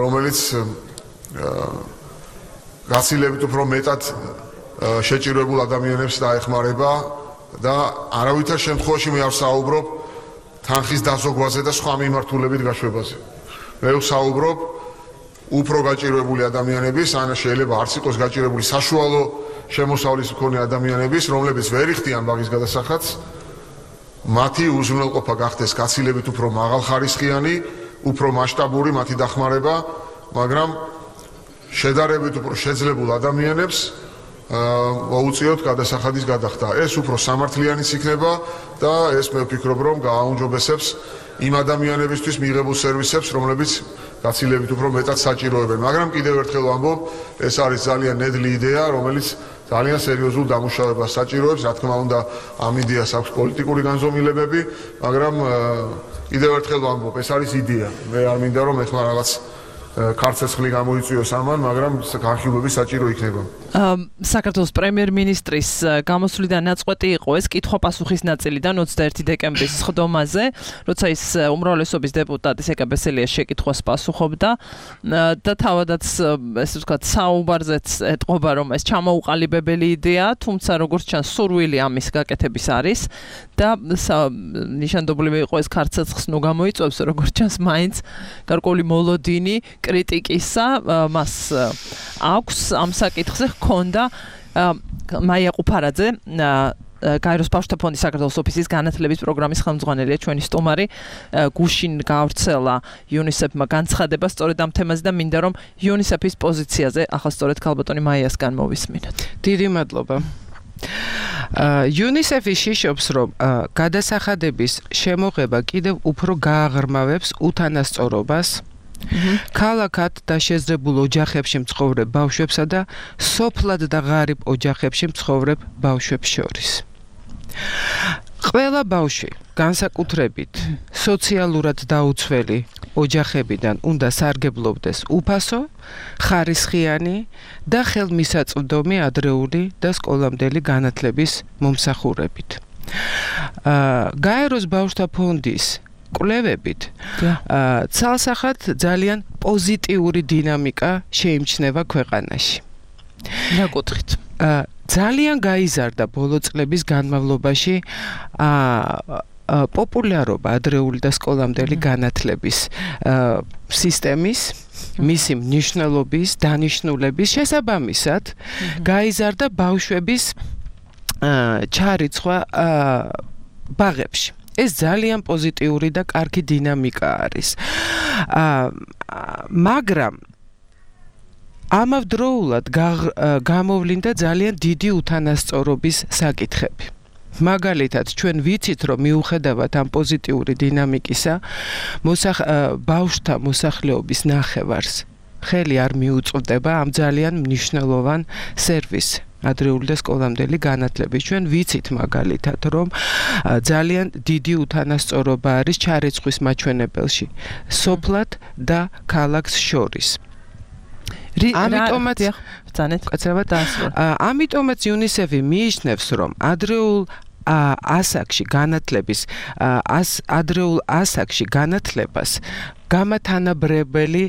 რომელიც გაცილებით უფრო მეტად შეჭირებულ ადამიანებს დაეხმარება და არავითარ შემთხვევაში მე არ ვსაუბრობ თანხის დაზოგვაზე და სხვა მიმართულებით გაშვებაზე. მე ვსაუბრობ უფრო გაჭირვებული ადამიანების, ან შეიძლება არც იყოს გაჭირვებული საშუალო შემოსავლის მქონე ადამიანების, რომლებიც ვერ იხდიან ბაღის გადასახადს, მათი უზრუნველყოფა გახდეს გაცილებით უფრო მაღალხარისხიანი, უფრო მასშტაბური მათი დახმარება, მაგრამ შედარებით უფრო შეძლებულ ადამიანებს მოუწიოთ გადასახადის გადახდა. ეს უფრო სამართლიანიც იქნება და ეს მე ვფიქრობ, რომ გააუმჯობესებს იმ ადამიანებისთვის მიღებულ სერვისებს, რომლებიც გაცილებით უფრო მეტად საჭიროებენ. მაგრამ კიდევ ერთხელ ვამბობ, ეს არის ძალიან ნედლი იდეა, რომელიც ძალიან სერიოზულ დამუშავებას საჭიროებს. რა თქმა უნდა, ამ იდეას აქვს პოლიტიკური განზომილებები, მაგრამ კიდევ ერთხელ ვამბობ, ეს არის იდეა. მე არ მინდა რომ ეხლა რაღაც ქარცეცხლი გამოიწვიოს ამან, მაგრამ განხილვები საჭირო იქნება. საქართველოს პრემიერ-მინისტრის გამოსვლიდან ნაწყვეტი იყო ეს კითხვა-პასუხის ნაწილიდან ოცდაერთი დეკემბრის სხდომაზე, როცა ის უმრავლესობის დეპუტატი სეკა ბესელიას შეკითხვას პასუხობდა და თავადაც ესე ვთქვათ საუბარზეც ეტყობა, რომ ეს ჩამოუყალიბებელი იდეაა, თუმცა როგორც ჩანს სურვილი ამის გაკეთების არის და ნიშანდობლივი იყო ეს ქარცეცხლს ნუ გამოიწვევს, როგორც ჩანს მაინც გარკვეული მოლოდინი კრიტიკისა მას აქვს ამ საკითხზე ჰქონდა მაია ყუფარაძე გაეროს ბავშვთა ფონდის საქართველოს ოფისის განათლების პროგრამის ხელმძღვანელია ჩვენი სტუმარი გუშინ გავრცელა იუნისეფმა განცხადება სწორედ ამ თემაზე და მინდა რომ იუნისეფის პოზიციაზე ახლა სწორედ ქალბატონი მაიასგან მოვისმინოთ. დიდი მადლობა. იუნისეფი შიშობს, რომ გადასახადების შემოღება კიდევ უფრო გააღრმავებს უთანასწორობას ქალაქად და შეზრებულ ოჯახებში მცხოვრებ ბავშვებსა და სოფლად და ღარიბ ოჯახებში მცხოვრებ ბავშვებს შორის. ყველა ბავშვი განსაკუთრებით სოციალურად დაუცველი ოჯახებიდან უნდა სარგებლობდეს უფასო, ხარისხიანი და ხელმისაწვდომი ადრეული და სკოლამდელი განათლების მომსახურებით. გაეროს ბავშვთა ფონდის კვლევებით ცალსახად ძალიან პოზიტიური დინამიკა შეიმჩნევა ქვეყანაში. რა კუთხით? ძალიან გაიზარდა ბოლო წლების განმავლობაში პოპულარობა ადრეული და სკოლამდელი განათლების სისტემის, მისი მნიშვნელობის, დანიშნულების შესაბამისად გაიზარდა ბავშვების ჩარიცხვა ბაღებში. ეს ძალიან პოზიტიური და კარგი დინამიკა არის. მაგრამ ამავდროულად გამოვლინდა ძალიან დიდი უთანასწორობის საკითხები. მაგალითად, ჩვენ ვიცით, რომ მიუხედავად ამ პოზიტიური დინამიკისა, ბავშვთა მოსახლეობის ნახევარს ხელი არ მიუწვდება ამ ძალიან მნიშვნელოვან სერვისს. ადრეული და სკოლამდელი განათლების. ჩვენ ვიცით მაგალითად, რომ ძალიან დიდი უთანასწორობა არის ჩარიცხვის მაჩვენებელში სოფლად და ქალაქს შორის. ამიტომაც ამიტომაც იუნისეფი მიიჩნევს, რომ ადრეულ ასაკში განათლების ადრეულ ასაკში განათლებას გამათანაბრებელი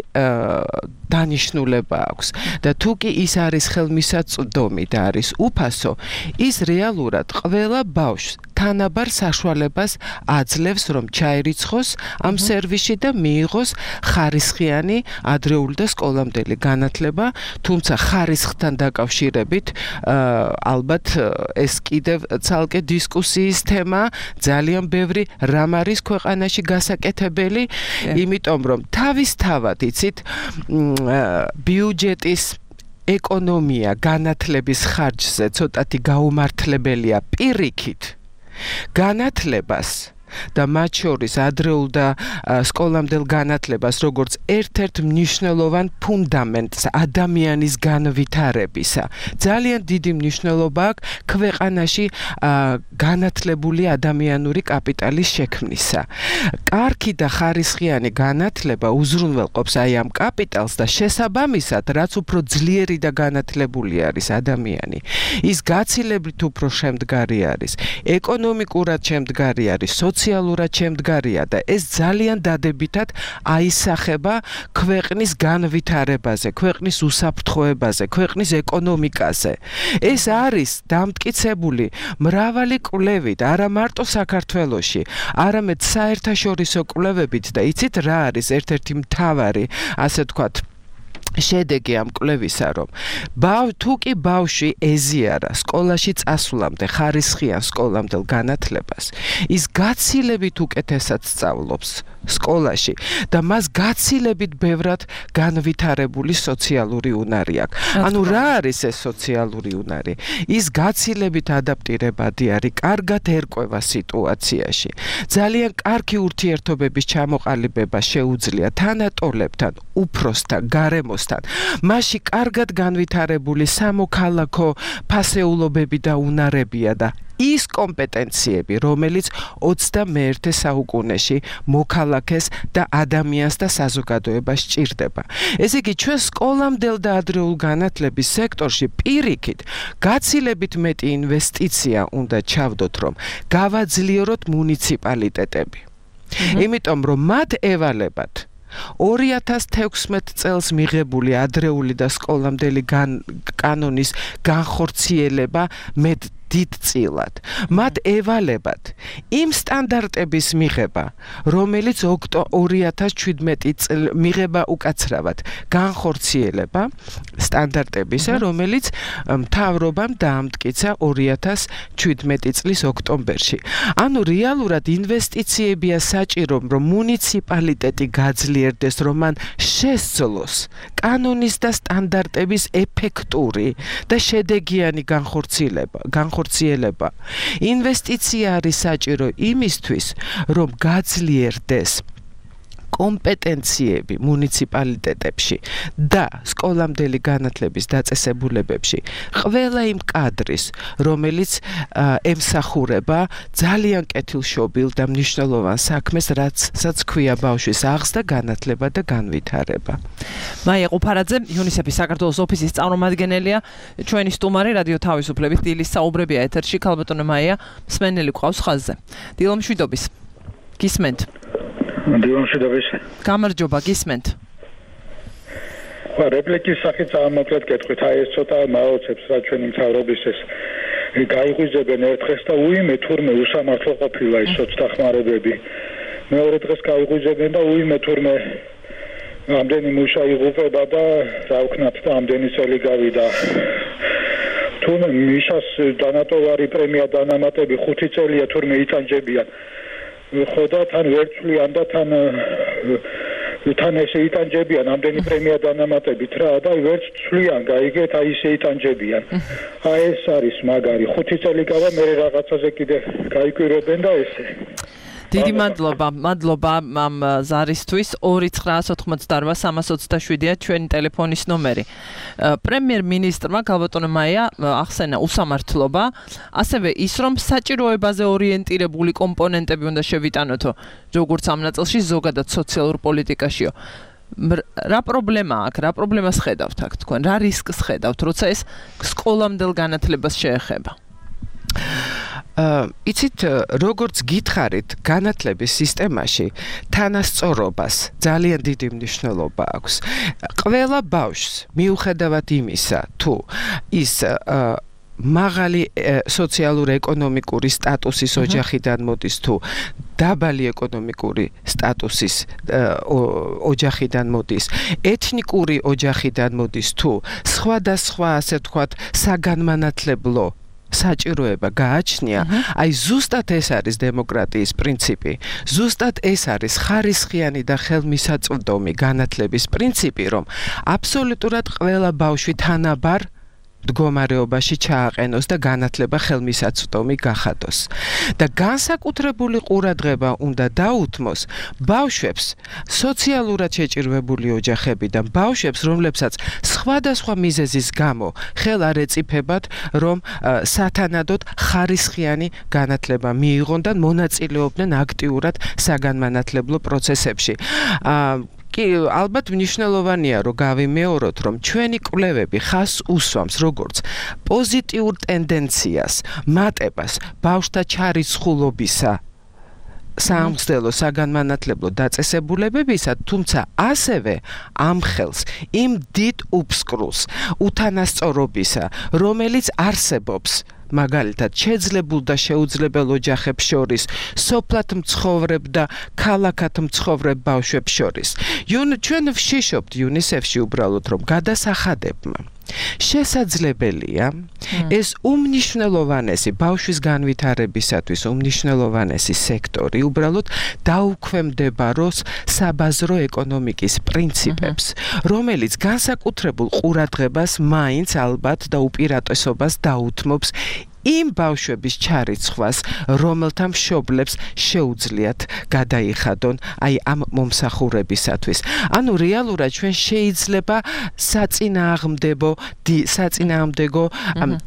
დანიშნულება აქვს და თუ კი ის არის ხელმისაწვდომი და არის უფასო, ის რეალურად ყველა ბავშვს თანაბარ საშუალებას აძლევს, რომ ჩაერიცხოს ამ სერვისში და მიიღოს ხარისხიანი ადრეული და სკოლამდელი განათლება, თუმცა ხარისხთან დაკავშირებით ალბათ ეს კიდევ ცალკე დისკუსიის თემა, ძალიან ბევრი რამ არის ქვეყანაში გასაკეთებელი, იმიტომ რომ თავისთავად იცით ბიუჯეტის ეკონომია განათლების ხარჯზე ცოტათი გაუმართლებელია პირიქით განათლებას და მათ შორის ადრეულ და სკოლამდელ განათლებას როგორც ერთ-ერთ მნიშვნელოვან ფუნდამენტს ადამიანის განვითარებისა. ძალიან დიდი მნიშვნელობა აქვს ქვეყანაში განათლებული ადამიანური კაპიტალის შექმნისა. კარგი და ხარისხიანი განათლება უზრუნველყოფს აი ამ კაპიტალს და შესაბამისად, რაც უფრო ძლიერი და განათლებული არის ადამიანი, ის გაცილებით უფრო შემდგარი არის, ეკონომიკურად შემდგარი არის, სოციალურად შემდგარია და ეს ძალიან დადებითად აისახება ქვეყნის განვითარებაზე, ქვეყნის უსაფრთხოებაზე, ქვეყნის ეკონომიკაზე. ეს არის დამტკიცებული მრავალი კვლევით, არა მარტო საქართველოში, არამედ საერთაშორისო კვლევებით და იცით რა არის ერთ-ერთი მთავარი, ასე ვთქვათ, შედეგი ამ კვლევისა, რომ თუ კი ბავშვი ეზიარა სკოლაში წასვლამდე ხარისხიან სკოლამდელ განათლებას, ის გაცილებით უკეთესად სწავლობს სკოლაში და მას გაცილებით ბევრად განვითარებული სოციალური უნარი აქვს. ანუ რა არის ეს სოციალური უნარი? ის გაცილებით ადაპტირებადი არის, კარგად ერკვევა სიტუაციაში. ძალიან კარგი ურთიერთობების ჩამოყალიბება შეუძლია თანატოლებთან, უფროსთან, გარემოსთან. მასში კარგად განვითარებული სამოქალაქო ფასეულობები და უნარებია და ის კომპეტენციები, რომელიც ოცდამეერთე საუკუნეში მოქალაქეს და ადამიანს და საზოგადოებას სჭირდება. ესე იგი, ჩვენ სკოლამდელ და ადრეულ განათლების სექტორში პირიქით გაცილებით მეტი ინვესტიცია უნდა ჩავდოთ, რომ გავაძლიეროთ მუნიციპალიტეტები. იმიტომ რომ მათ ევალებათ ორი ათას თექვსმეტ წელს მიღებული ადრეული და სკოლამდელი კანონის განხორციელება მეტ დიდწილად. მათ ევალებათ იმ სტანდარტების მიღება, რომელიც ორი ათას ჩვიდმეტი წელი მიღება უკაცრავად, განხორციელება სტანდარტებისა, რომელიც მთავრობამ დაამტკიცა ორი ათას ჩვიდმეტი წლის ოქტომბერში. ანუ რეალურად ინვესტიციებია საჭირო, რომ მუნიციპალიტეტი გაძლიერდეს, რომ მან შესძლოს კანონის და სტანდარტების ეფექტური და შედეგიანი განხორციელება. განხორციელება. ინვესტიცია არის საჭირო იმისთვის, რომ გაძლიერდეს კომპეტენციები მუნიციპალიტეტებში და სკოლამდელი განათლების დაწესებულებებში ყველა იმ კადრის, რომელიც ემსახურება ძალიან კეთილშობილ და მნიშვნელოვან საქმეს, რასაც ქვია ბავშვის აღზრდა, განათლება და განვითარება. მაია ყუფარაძე, იუნისეფის საქართველოს ოფისის წარმომადგენელია, ჩვენი სტუმარი რადიო თავისუფლების დილის საუბრებია ეთერში. ქალბატონო მაია, მსმენელი გვყავს ხაზზე. დილო მშვიდობის. გისმენთ? დილომშვიდობის. გამარჯობა, გისმენთ. ხო, რეპლიკის სახით ამოკლედ გეტყვით, აი ეს ცოტა მაოცებს რა ჩვენი მთავრობის ეს გაიღვიძებენ ერთ დღეს და უიმე თურმე უსამართლო ყოფილა ის სოცდახმარებები. მეორე დღეს გაიღვიძებენ და უიმე თურმე ამდენი მუშა იღუპება და რა ვქნათ და ამდენი წელი გავიდა. თურმე მიშას დანატოვარი პრემია დანამატები ხუთი წელია თურმე იტანჯებიან. ხო და თან ვერცვლიან და თან თან ესე იტანჯებიან ამდენი პრემია დანამატებით რა და ვერც ცვლიან გაიგეთ აი ესე იტანჯებიან. აი ეს არის მაგარი ხუთი წელი გავა მე რაღაცაზე კიდე გაიკვირებენ და ესე. დიდი მადლობა, მადლობა ამ ზარისთვის. ორი ცხრაას ოთხმოცდაორვა სამას ოცდაშვიდია ჩვენი ტელეფონის ნომერი. პრემიერ-მინისტრმა ქალბატონო მაია ახსენა უსამართლობა, ასევე ის, რომ საჭიროებაზე ორიენტირებული კომპონენტები უნდა შევიტანოთო, როგორც ამ ნაწილში ზოგადად სოციალურ პოლიტიკაშიო. რა პრობლემა აქვს, რა პრობლემას ხედავთ აქ თქვენ, რა რისკს ხედავთ, როცა ეს სკოლამდელ განათლებას შეეხება? იცით, როგორც გითხარით, განათლების სისტემაში თანასწორობას ძალიან დიდი მნიშვნელობა აქვს. ყველა ბავშვს მიუხედავად იმისა, თუ ის მაღალი სოციალურ-ეკონომიკური სტატუსის ოჯახიდან მოდის თუ დაბალი ეკონომიკური სტატუსის ოჯახიდან მოდის, ეთნიკური ოჯახიდან მოდის თუ სხვადასხვა, ასე ვთქვათ, საგანმანათლებლო საჭიროება გააჩნია, აი ზუსტად ეს არის დემოკრატიის პრინციპი. ზუსტად ეს არის ხარისხიანი და ხელმისაწვდომი განათლების პრინციპი, რომ აბსოლუტურად ყველა ბავშვი თანაბარ მდგომარეობაში ჩააყენოს და განათლება ხელმისაწვდომი გახადოს. და განსაკუთრებული ყურადღება უნდა დაუთმოს ბავშვებს, სოციალურად შეჭირვებული ოჯახებიდან ბავშვებს, რომლებსაც სხვადასხვა მიზეზის გამო ხელ არ ეწიფებათ, რომ სათანადოდ ხარისხიანი განათლება მიიღონ და მონაწილეობდნენ აქტიურად საგანმანათლებლო პროცესებში. კი, ალბათ მნიშვნელოვანია, რომ გავიმეოროთ, რომ ჩვენი კვლევები ხაზს უსვამს როგორც პოზიტიურ ტენდენციას, მატებას ბავშვთა ჩარიცხულობისა სამხსნელო საგანმანათლებლო დაწესებულებებისა, თუმცა ასევე ამხელს იმ დიდ უფსკრულს უთანასწორობისა, რომელიც არსებობს მაგალითად შეძლებულ და შეუძლებელ ოჯახებს შორის, სოფლად მცხოვრებ და ქალაქად მცხოვრებ ბავშვებს შორის. ჩვენ ვშიშობთ იუნისეფში უბრალოდ, რომ გადასახადებმა შესაძლებელია ეს უმნიშვნელოვანესი ბავშვის განვითარებისათვის უმნიშვნელოვანესი სექტორი უბრალოდ დაუქვემდებაროს საბაზრო ეკონომიკის პრინციპებს, რომელიც განსაკუთრებულ ყურადღებას მაინც ალბათ და უპირატესობას დაუთმობს იმ ბავშვების ჩარიცხვას, რომელთა მშობლებს შეუძლიათ გადაიხადონ აი ამ მომსახურებისათვის. ანუ რეალურად ჩვენ შეიძლება საწინააღმდეგო საწინააღმდეგო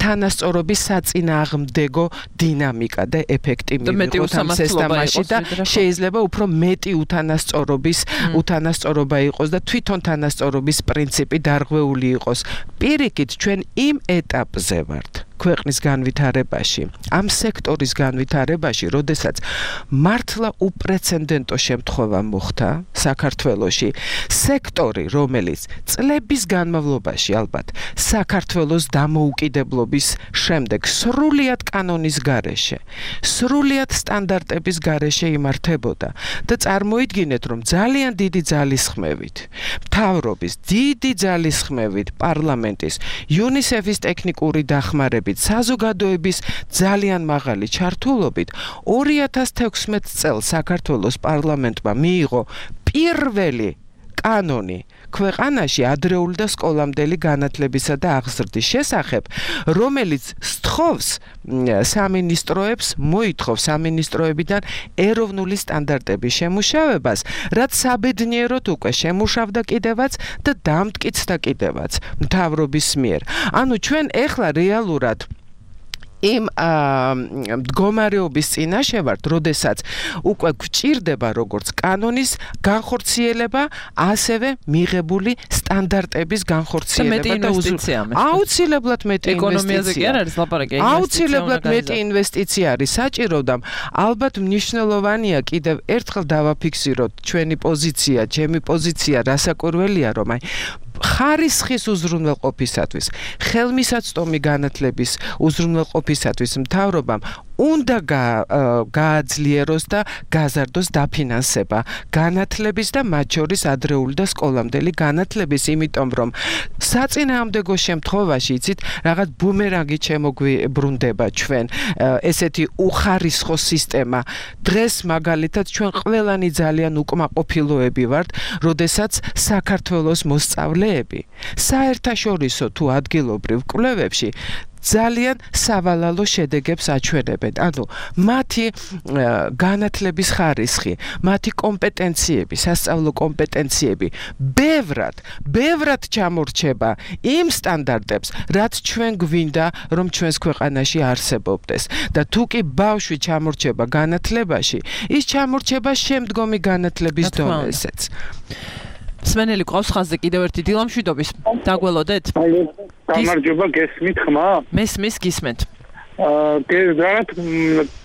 თანასწორობის საწინააღმდეგო დინამიკა და ეფექტი მივიღოთ ამ სისტემაში და შეიძლება უფრო მეტი უთანასწორობის უთანასწორობა იყოს და თვითონ თანასწორობის პრინციპი დარღვეული იყოს. პირიქით ჩვენ იმ ეტაპზე ვართ ქვეყნის განვითარებაში, ამ სექტორის განვითარებაში, როდესაც მართლა უპრეცედენტო შემთხვევა მოხდა საქართველოში, სექტორი, რომელიც წლების განმავლობაში ალბათ საქართველოს დამოუკიდებლობის შემდეგ სრულიად კანონის გარეშე, სრულიად სტანდარტების გარეშე იმართებოდა და წარმოიდგინეთ, რომ ძალიან დიდი ძალისხმევით, მთავრობის დიდი ძალისხმევით, პარლამენტის, იუნისეფის ტექნიკური დახმარებით, საზოგადოების ძალიან მაღალი ჩართულობით ორი ათას თექვსმეტ წელს საქართველოს პარლამენტმა მიიღო პირველი კანონი ქვეყანაში ადრეული და სკოლამდელი განათლებისა და აღზრდის შესახებ, რომელიც სთხოვს სამინისტროებს, მოითხოვს სამინისტროებიდან ეროვნული სტანდარტების შემუშავებას, რაც საბედნიეროდ უკვე შემუშავდა კიდევაც და დამტკიცდა კიდევაც მთავრობის მიერ. ანუ ჩვენ ეხლა რეალურად იმ მდგომარეობის წინაშე ვართ, როდესაც უკვე გვჭირდება როგორც კანონის განხორციელება, ასევე მიღებული სტანდარტების განხორციელება და აუცილებლად მეტი ინვესტიცია. აუცილებლად მეტი ინვესტიცია არის საჭირო და ალბათ მნიშვნელოვანია კიდევ ერთხელ დავაფიქსიროთ ჩვენი პოზიცია, ჩემი პოზიცია რასაკვირველია, რომ აი ხარისხის უზრუნველყოფისათვის, ხელმისაწვდომი განათლების უზრუნველყოფისათვის მთავრობამ უნდა გააძლიეროს და გაზარდოს დაფინანსება განათლების და მათ შორის ადრეული და სკოლამდელი განათლების, იმიტომ რომ საწინააღმდეგო შემთხვევაში, იცით, რაღაც ბუმერანგი შემოგვიბრუნდება ჩვენ ესეთი უხარისხო სისტემა. დღეს მაგალითად ჩვენ ყველანი ძალიან უკმაყოფილოები ვართ, როდესაც საქართველოს მოსწავლეები საერთაშორისო თუ ადგილობრივ კვლევებში ძალიან სავალალო შედეგებს აჩვენებენ. ანუ მათი განათლების ხარისხი, მათი კომპეტენციები, სასწავლო კომპეტენციები ბევრად, ბევრად ჩამორჩება იმ სტანდარტებს, რაც ჩვენ გვინდა, რომ ჩვენს ქვეყანაში არსებობდეს. და თუ კი ბავშვი ჩამორჩება განათლებაში, ის ჩამორჩება შემდგომი განათლების დონეზეც. სმენელი ყავს ხაზზე კიდევ ერთი დილამშვიდობის. დაგველოდეთ? გამარჯობა, გესმით ხმა? მესმის, გისმენთ. აა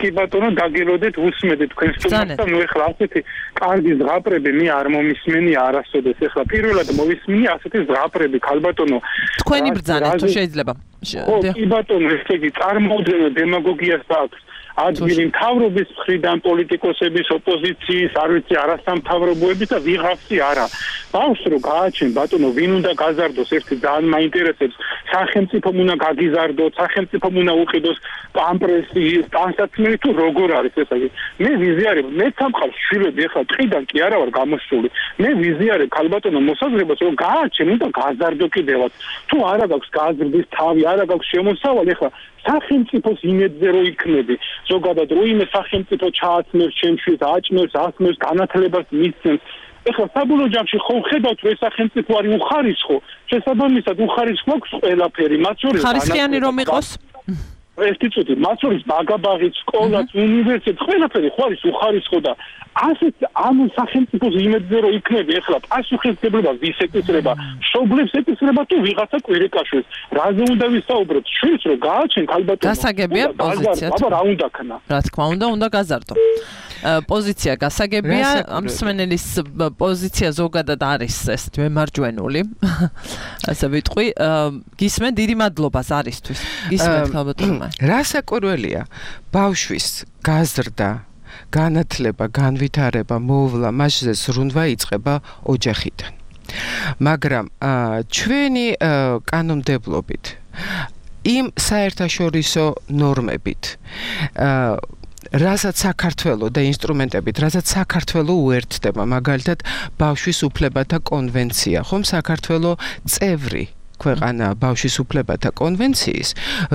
კი ბატონო დაგელოდეთ უსმედეთ თქვენ სტუმარს და ნუ ეხლა ასეთი კარგი ზღაპრები მე არ მომისმენი არასოდეს ეხლა პირველად მოვისმინე ასეთი ზღაპრები ქალბატონო თქვენი ბრძანა თუ შეიძლება ხო კი ბატონო ესე იგი წარმოუდგენელ დემაგოგიას აქვს ადგილი მთავრობის მხრიდან პოლიტიკოსების ოპოზიციის არ ვიცი არასამთავრობოების და ვიღაცი არა ბავშვს რო გააჩენ ბატონო ვინ უნდა გაზარდოს ერთი ძალიან მაინტერესებს სახელმწიფომ უნდა გაგიზარდოს სახელმწიფომ უნდა უყიდოს პამპრესი სტანსაცმელი თუ როგორ არის ესე იგი მე ვიზიარებ მე სამყაროს შვილები ახლა ტყიდან კი არა ვარ გამოსული მე ვიზიარებ ქალბატონო მოსაზრებას რომ გააჩენ უნდა გაზარდო კიდევაც თუ არა გაქვს გაზრდის თავი არა გაქვს შემოსავალი ახლა სახელმწიფოს იმედზე რო იქნები ზოგადად რო იმე სახელმწიფო ჩააცნებს ჩემშვილს აჭმევს ასმევს განათლებას მისცემს ეხლა საბოლოო ჯამში ხო ხედავთ რომ ეს სახელმწიფო არის უხარისხო შესაბამისად უხარისხო აქვს ყველაფერი მათ შორის ხარისხიანი რომ იყოს ერთი წუთი მათ შორის ბაგაბაღი სკოლაც უნივერსიტეტი ყველაფერი ხო არის უხარისხო და ასეთ ამ სახელმწიფოს იმედზე რომ იქნები ეხლა პასუხისმგებლობა ვის ეკისრება მშობლებს ეკისრება თუ ვიღაცა კვირიკაშვილს რაზე უნდა ვისაუბროთ შვილს რომ გააჩენ ქალბატონო გასაგებია პოზიცია აბა რა უნდა ქნა რა თქმა უნდა უნდა გაზარდო პოზიცია გასაგებია ამ მსმენელის პოზიცია ზოგადად არის ეს მემარჯვენული ასე ვიტყვი გისმენ დიდი მადლობა ზარისთვის გისმენთ ქალბატონო რა საკვირველია ბავშვის გაზრდა განათლება განვითარება მოვლა მასზე სრუნვა იწყება ოჯახიდან მაგრამ ჩვენი კანონმდებლობით იმ საერთაშორისო ნორმებით რასაც საქართველოს და ინსტრუმენტებით რასაც საქართველოს უერთდება მაგალითად ბავშვის უფლებათა კონვენცია ხომ საქართველოს წევრი ქვეყანა ბავშვის უფლებათა კონვენციის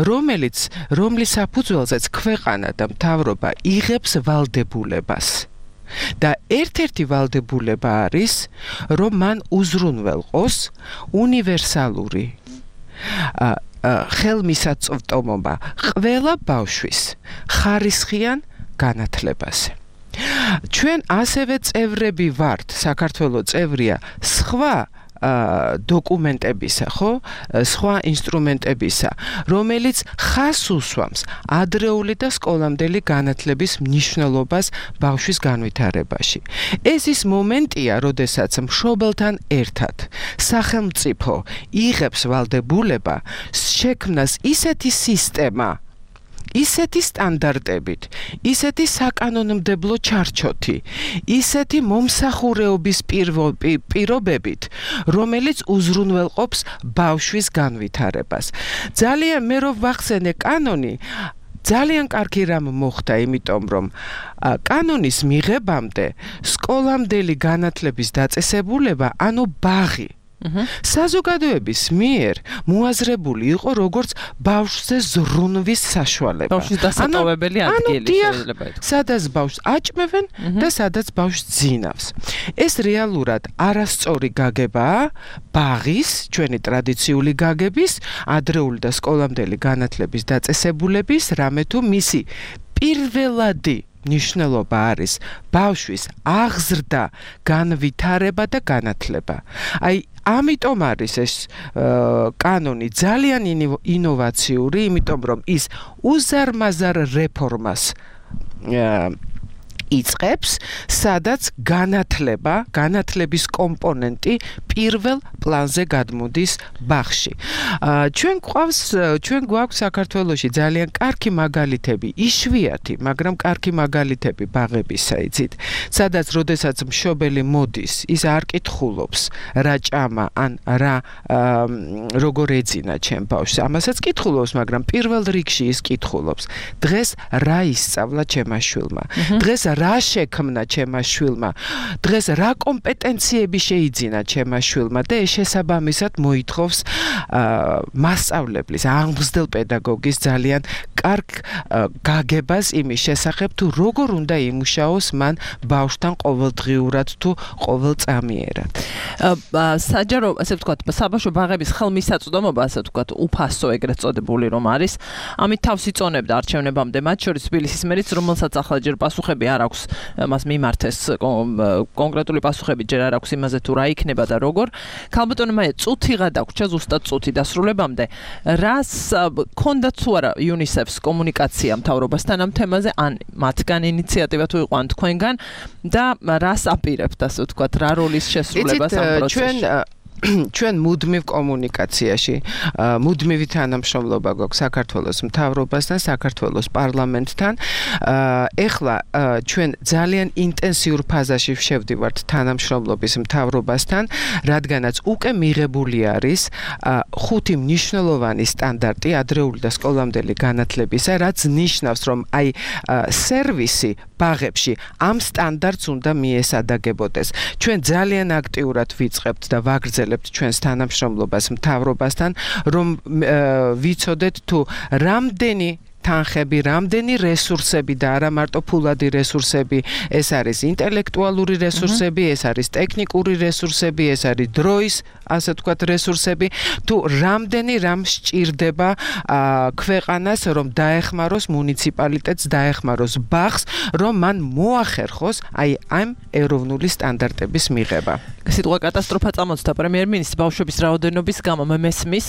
რომელიც რომლის საფუძველზეც ქვეყანა და მთავრობა იღებს ვალდებულებას და ერთ-ერთი ვალდებულება არის რომ მან უზრუნველყოს უნივერსალური ხელმისაწვდომობა ყველა ბავშვის ხარისხიან განათლებაზე. ჩვენ ასევე წევრები ვართ, საქართველოს წევრია სხვა დოკუმენტებისა, ხო? სხვა ინსტრუმენტებისა, რომელიც ხას უსვამს ადრეული და სკოლამდელი განათლების მნიშვნელობას ბავშვის განვითარებაში. ეს ის მომენტია, როდესაც მშობელთან ერთად სახელმწიფო იღებს ვალდებულება შექმნას ისეთი სისტემა ისეთი სტანდარტებით, ისეთი საკანონმდებლო ჩარჩოთი, ისეთი მომსახურეობის პირობებით, რომელიც უზრუნველყოფს ბავშვის განვითარებას. ძალიან მე რო ვახსენე კანონი, ძალიან კარგი რამ მოხდა, იმიტომ რომ კანონის მიღებამდე სკოლამდელი განათლების დაწესებულება, ანუ ბაღი საზოგადოების მიერ მოაზრებული იყო როგორც ბავშვზე ზრუნვის საშუალება. ბავშვის დასატოვებელი ადგილი შეიძლება ითქვას. სადაც ბავშვს აჭმევენ და სადაც ბავშვს ძინავს. ეს რეალურად არასწორი გაგებაა ბაღის, ჩვენი ტრადიციული გაგების, ადრეული და სკოლამდელი განათლების დაწესებულების, რამე თუ მისი პირველადი ნიშნულობა არის ბავშვის აღზრდა, განვითარება და განათლება. აი ამიტომ არის ეს კანონი ძალიან ინოვაციური, იმიტომ რომ ის უზარმაზარ რეფორმას იწყებს, სადაც განათლება, განათლების კომპონენტი პირველ პლანზე გადმოდის ბაღში. ჩვენ გვყავს, ჩვენ გვაქვს საქართველოში ძალიან კარგი მაგალითები, იშვიათი, მაგრამ კარგი მაგალითები ბაღებისა, იცით, სადაც როდესაც მშობელი მოდის, ის არ კითხულობს, რა ჭამა, ან რა როგორ ეძინა ჩემ ბავშვს. ამასაც კითხულობს, მაგრამ პირველ რიგში ის კითხულობს, დღეს რა ისწავლა ჩემმა შვილმა. დღეს რა შექმნა ჩემმა შვილმა, დღეს რა კომპეტენციები შეიძინა ჩემმა შვილმა და ეს შესაბამისად მოითხოვს მასწავლებლის, აღმზრდელ პედაგოგის ძალიან კარგ გაგებას იმის შესახებ, თუ როგორ უნდა იმუშაოს მან ბავშვთან ყოველდღიურად თუ ყოველწამიერად. საჯარო, ასე ვთქვათ, საბავშვო ბაღების ხელმისაწვდომობა, ასე ვთქვათ, უფასო ეგრეთ წოდებული რომ არის, ამით თავს იწონებდა არჩევნებამდე, მათ შორის თბილისის მერიც, რომელსაც ახლა ჯერ პასუხები არ აქვს მას მიმართეს კონკრეტული პასუხები ჯერ არ აქვს იმაზე თუ რა იქნება და როგორ. ქალბატონო მაია, წუთიღა დაგვრჩა, ზუსტად წუთი დასრულებამდე. რას ქონდა თუ არა იუნისეფს აქვს კომუნიკაცია მთავრობასთან ამ თემაზე, ან მათგან ინიციატივა თუ იყო, ან თქვენგან და რას აპირებთ, ასე ვთქვათ, რა როლის შესრულებას ამ პროცესში? ჩვენ მუდმივ კომუნიკაციაში, მუდმივი თანამშრომლობა გვაქვს საქართველოს მთავრობასთან, საქართველოს პარლამენტთან. ეხლა ჩვენ ძალიან ინტენსიურ ფაზაში შევდივართ თანამშრომლობის მთავრობასთან, რადგანაც უკვე მიღებული არის ხუთი მნიშვნელოვანი სტანდარტი ადრეული და სკოლამდელი განათლებისა, რაც ნიშნავს, რომ აი სერვისი ბაღებში ამ სტანდარტს უნდა მიესადაგებოდეს. ჩვენ ძალიან აქტიურად ვიწყებთ და ვაგრძელებთ ჩვენს თანამშრომლობას მთავრობასთან, რომ ვიცოდეთ თუ რამდენი თანხები, რამდენი რესურსები და არა მარტო ფულადი რესურსები, ეს არის ინტელექტუალური რესურსები, ეს არის ტექნიკური რესურსები, ეს არის დროის, ასე ვთქვათ, რესურსები, თუ რამდენი რამ სჭირდება ქვეყანას, რომ დაეხმაროს მუნიციპალიტეტს, დაეხმაროს ბაღს, რომ მან მოახერხოს აი ამ ეროვნული სტანდარტების მიღება. სიტყვა კატასტროფა წამოწდა პრემიერ-მინისტრის ბავშვების რაოდენობის გამო, მე მესმის,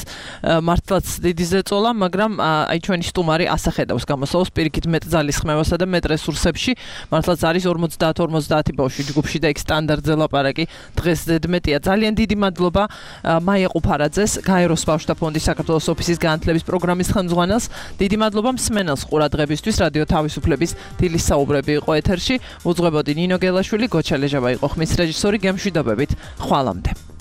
მართლაც დიდი ზეწოლა, მაგრამ აი ჩვენი სტუმარი ასახედავს გამოსავალს პირიქით მეტ ძალის ხმევასა და მეტ რესურსებში. მართლაც არის ორმოცდაათ ორმოცდაათი ბავშვი ჯგუფში და იქ სტანდარტზე ლაპარაკი დღეს ზედმეტია. ძალიან დიდი მადლობა მაია ყუფარაძეს, გაეროს ბავშვთა ფონდის საქართველოს ოფისის განათლების პროგრამის ხელმძღვანელს. დიდი მადლობა მსმენელს ყურადღებისთვის. რადიო თავისუფლების დილის საუბრები იყო ეთერში. უძღვებოდი ნინო გელაშვილი, გოჩა ლეჟავა იყო ხმის რეჟისორი. გემშვიდობებით. ხვალამდე.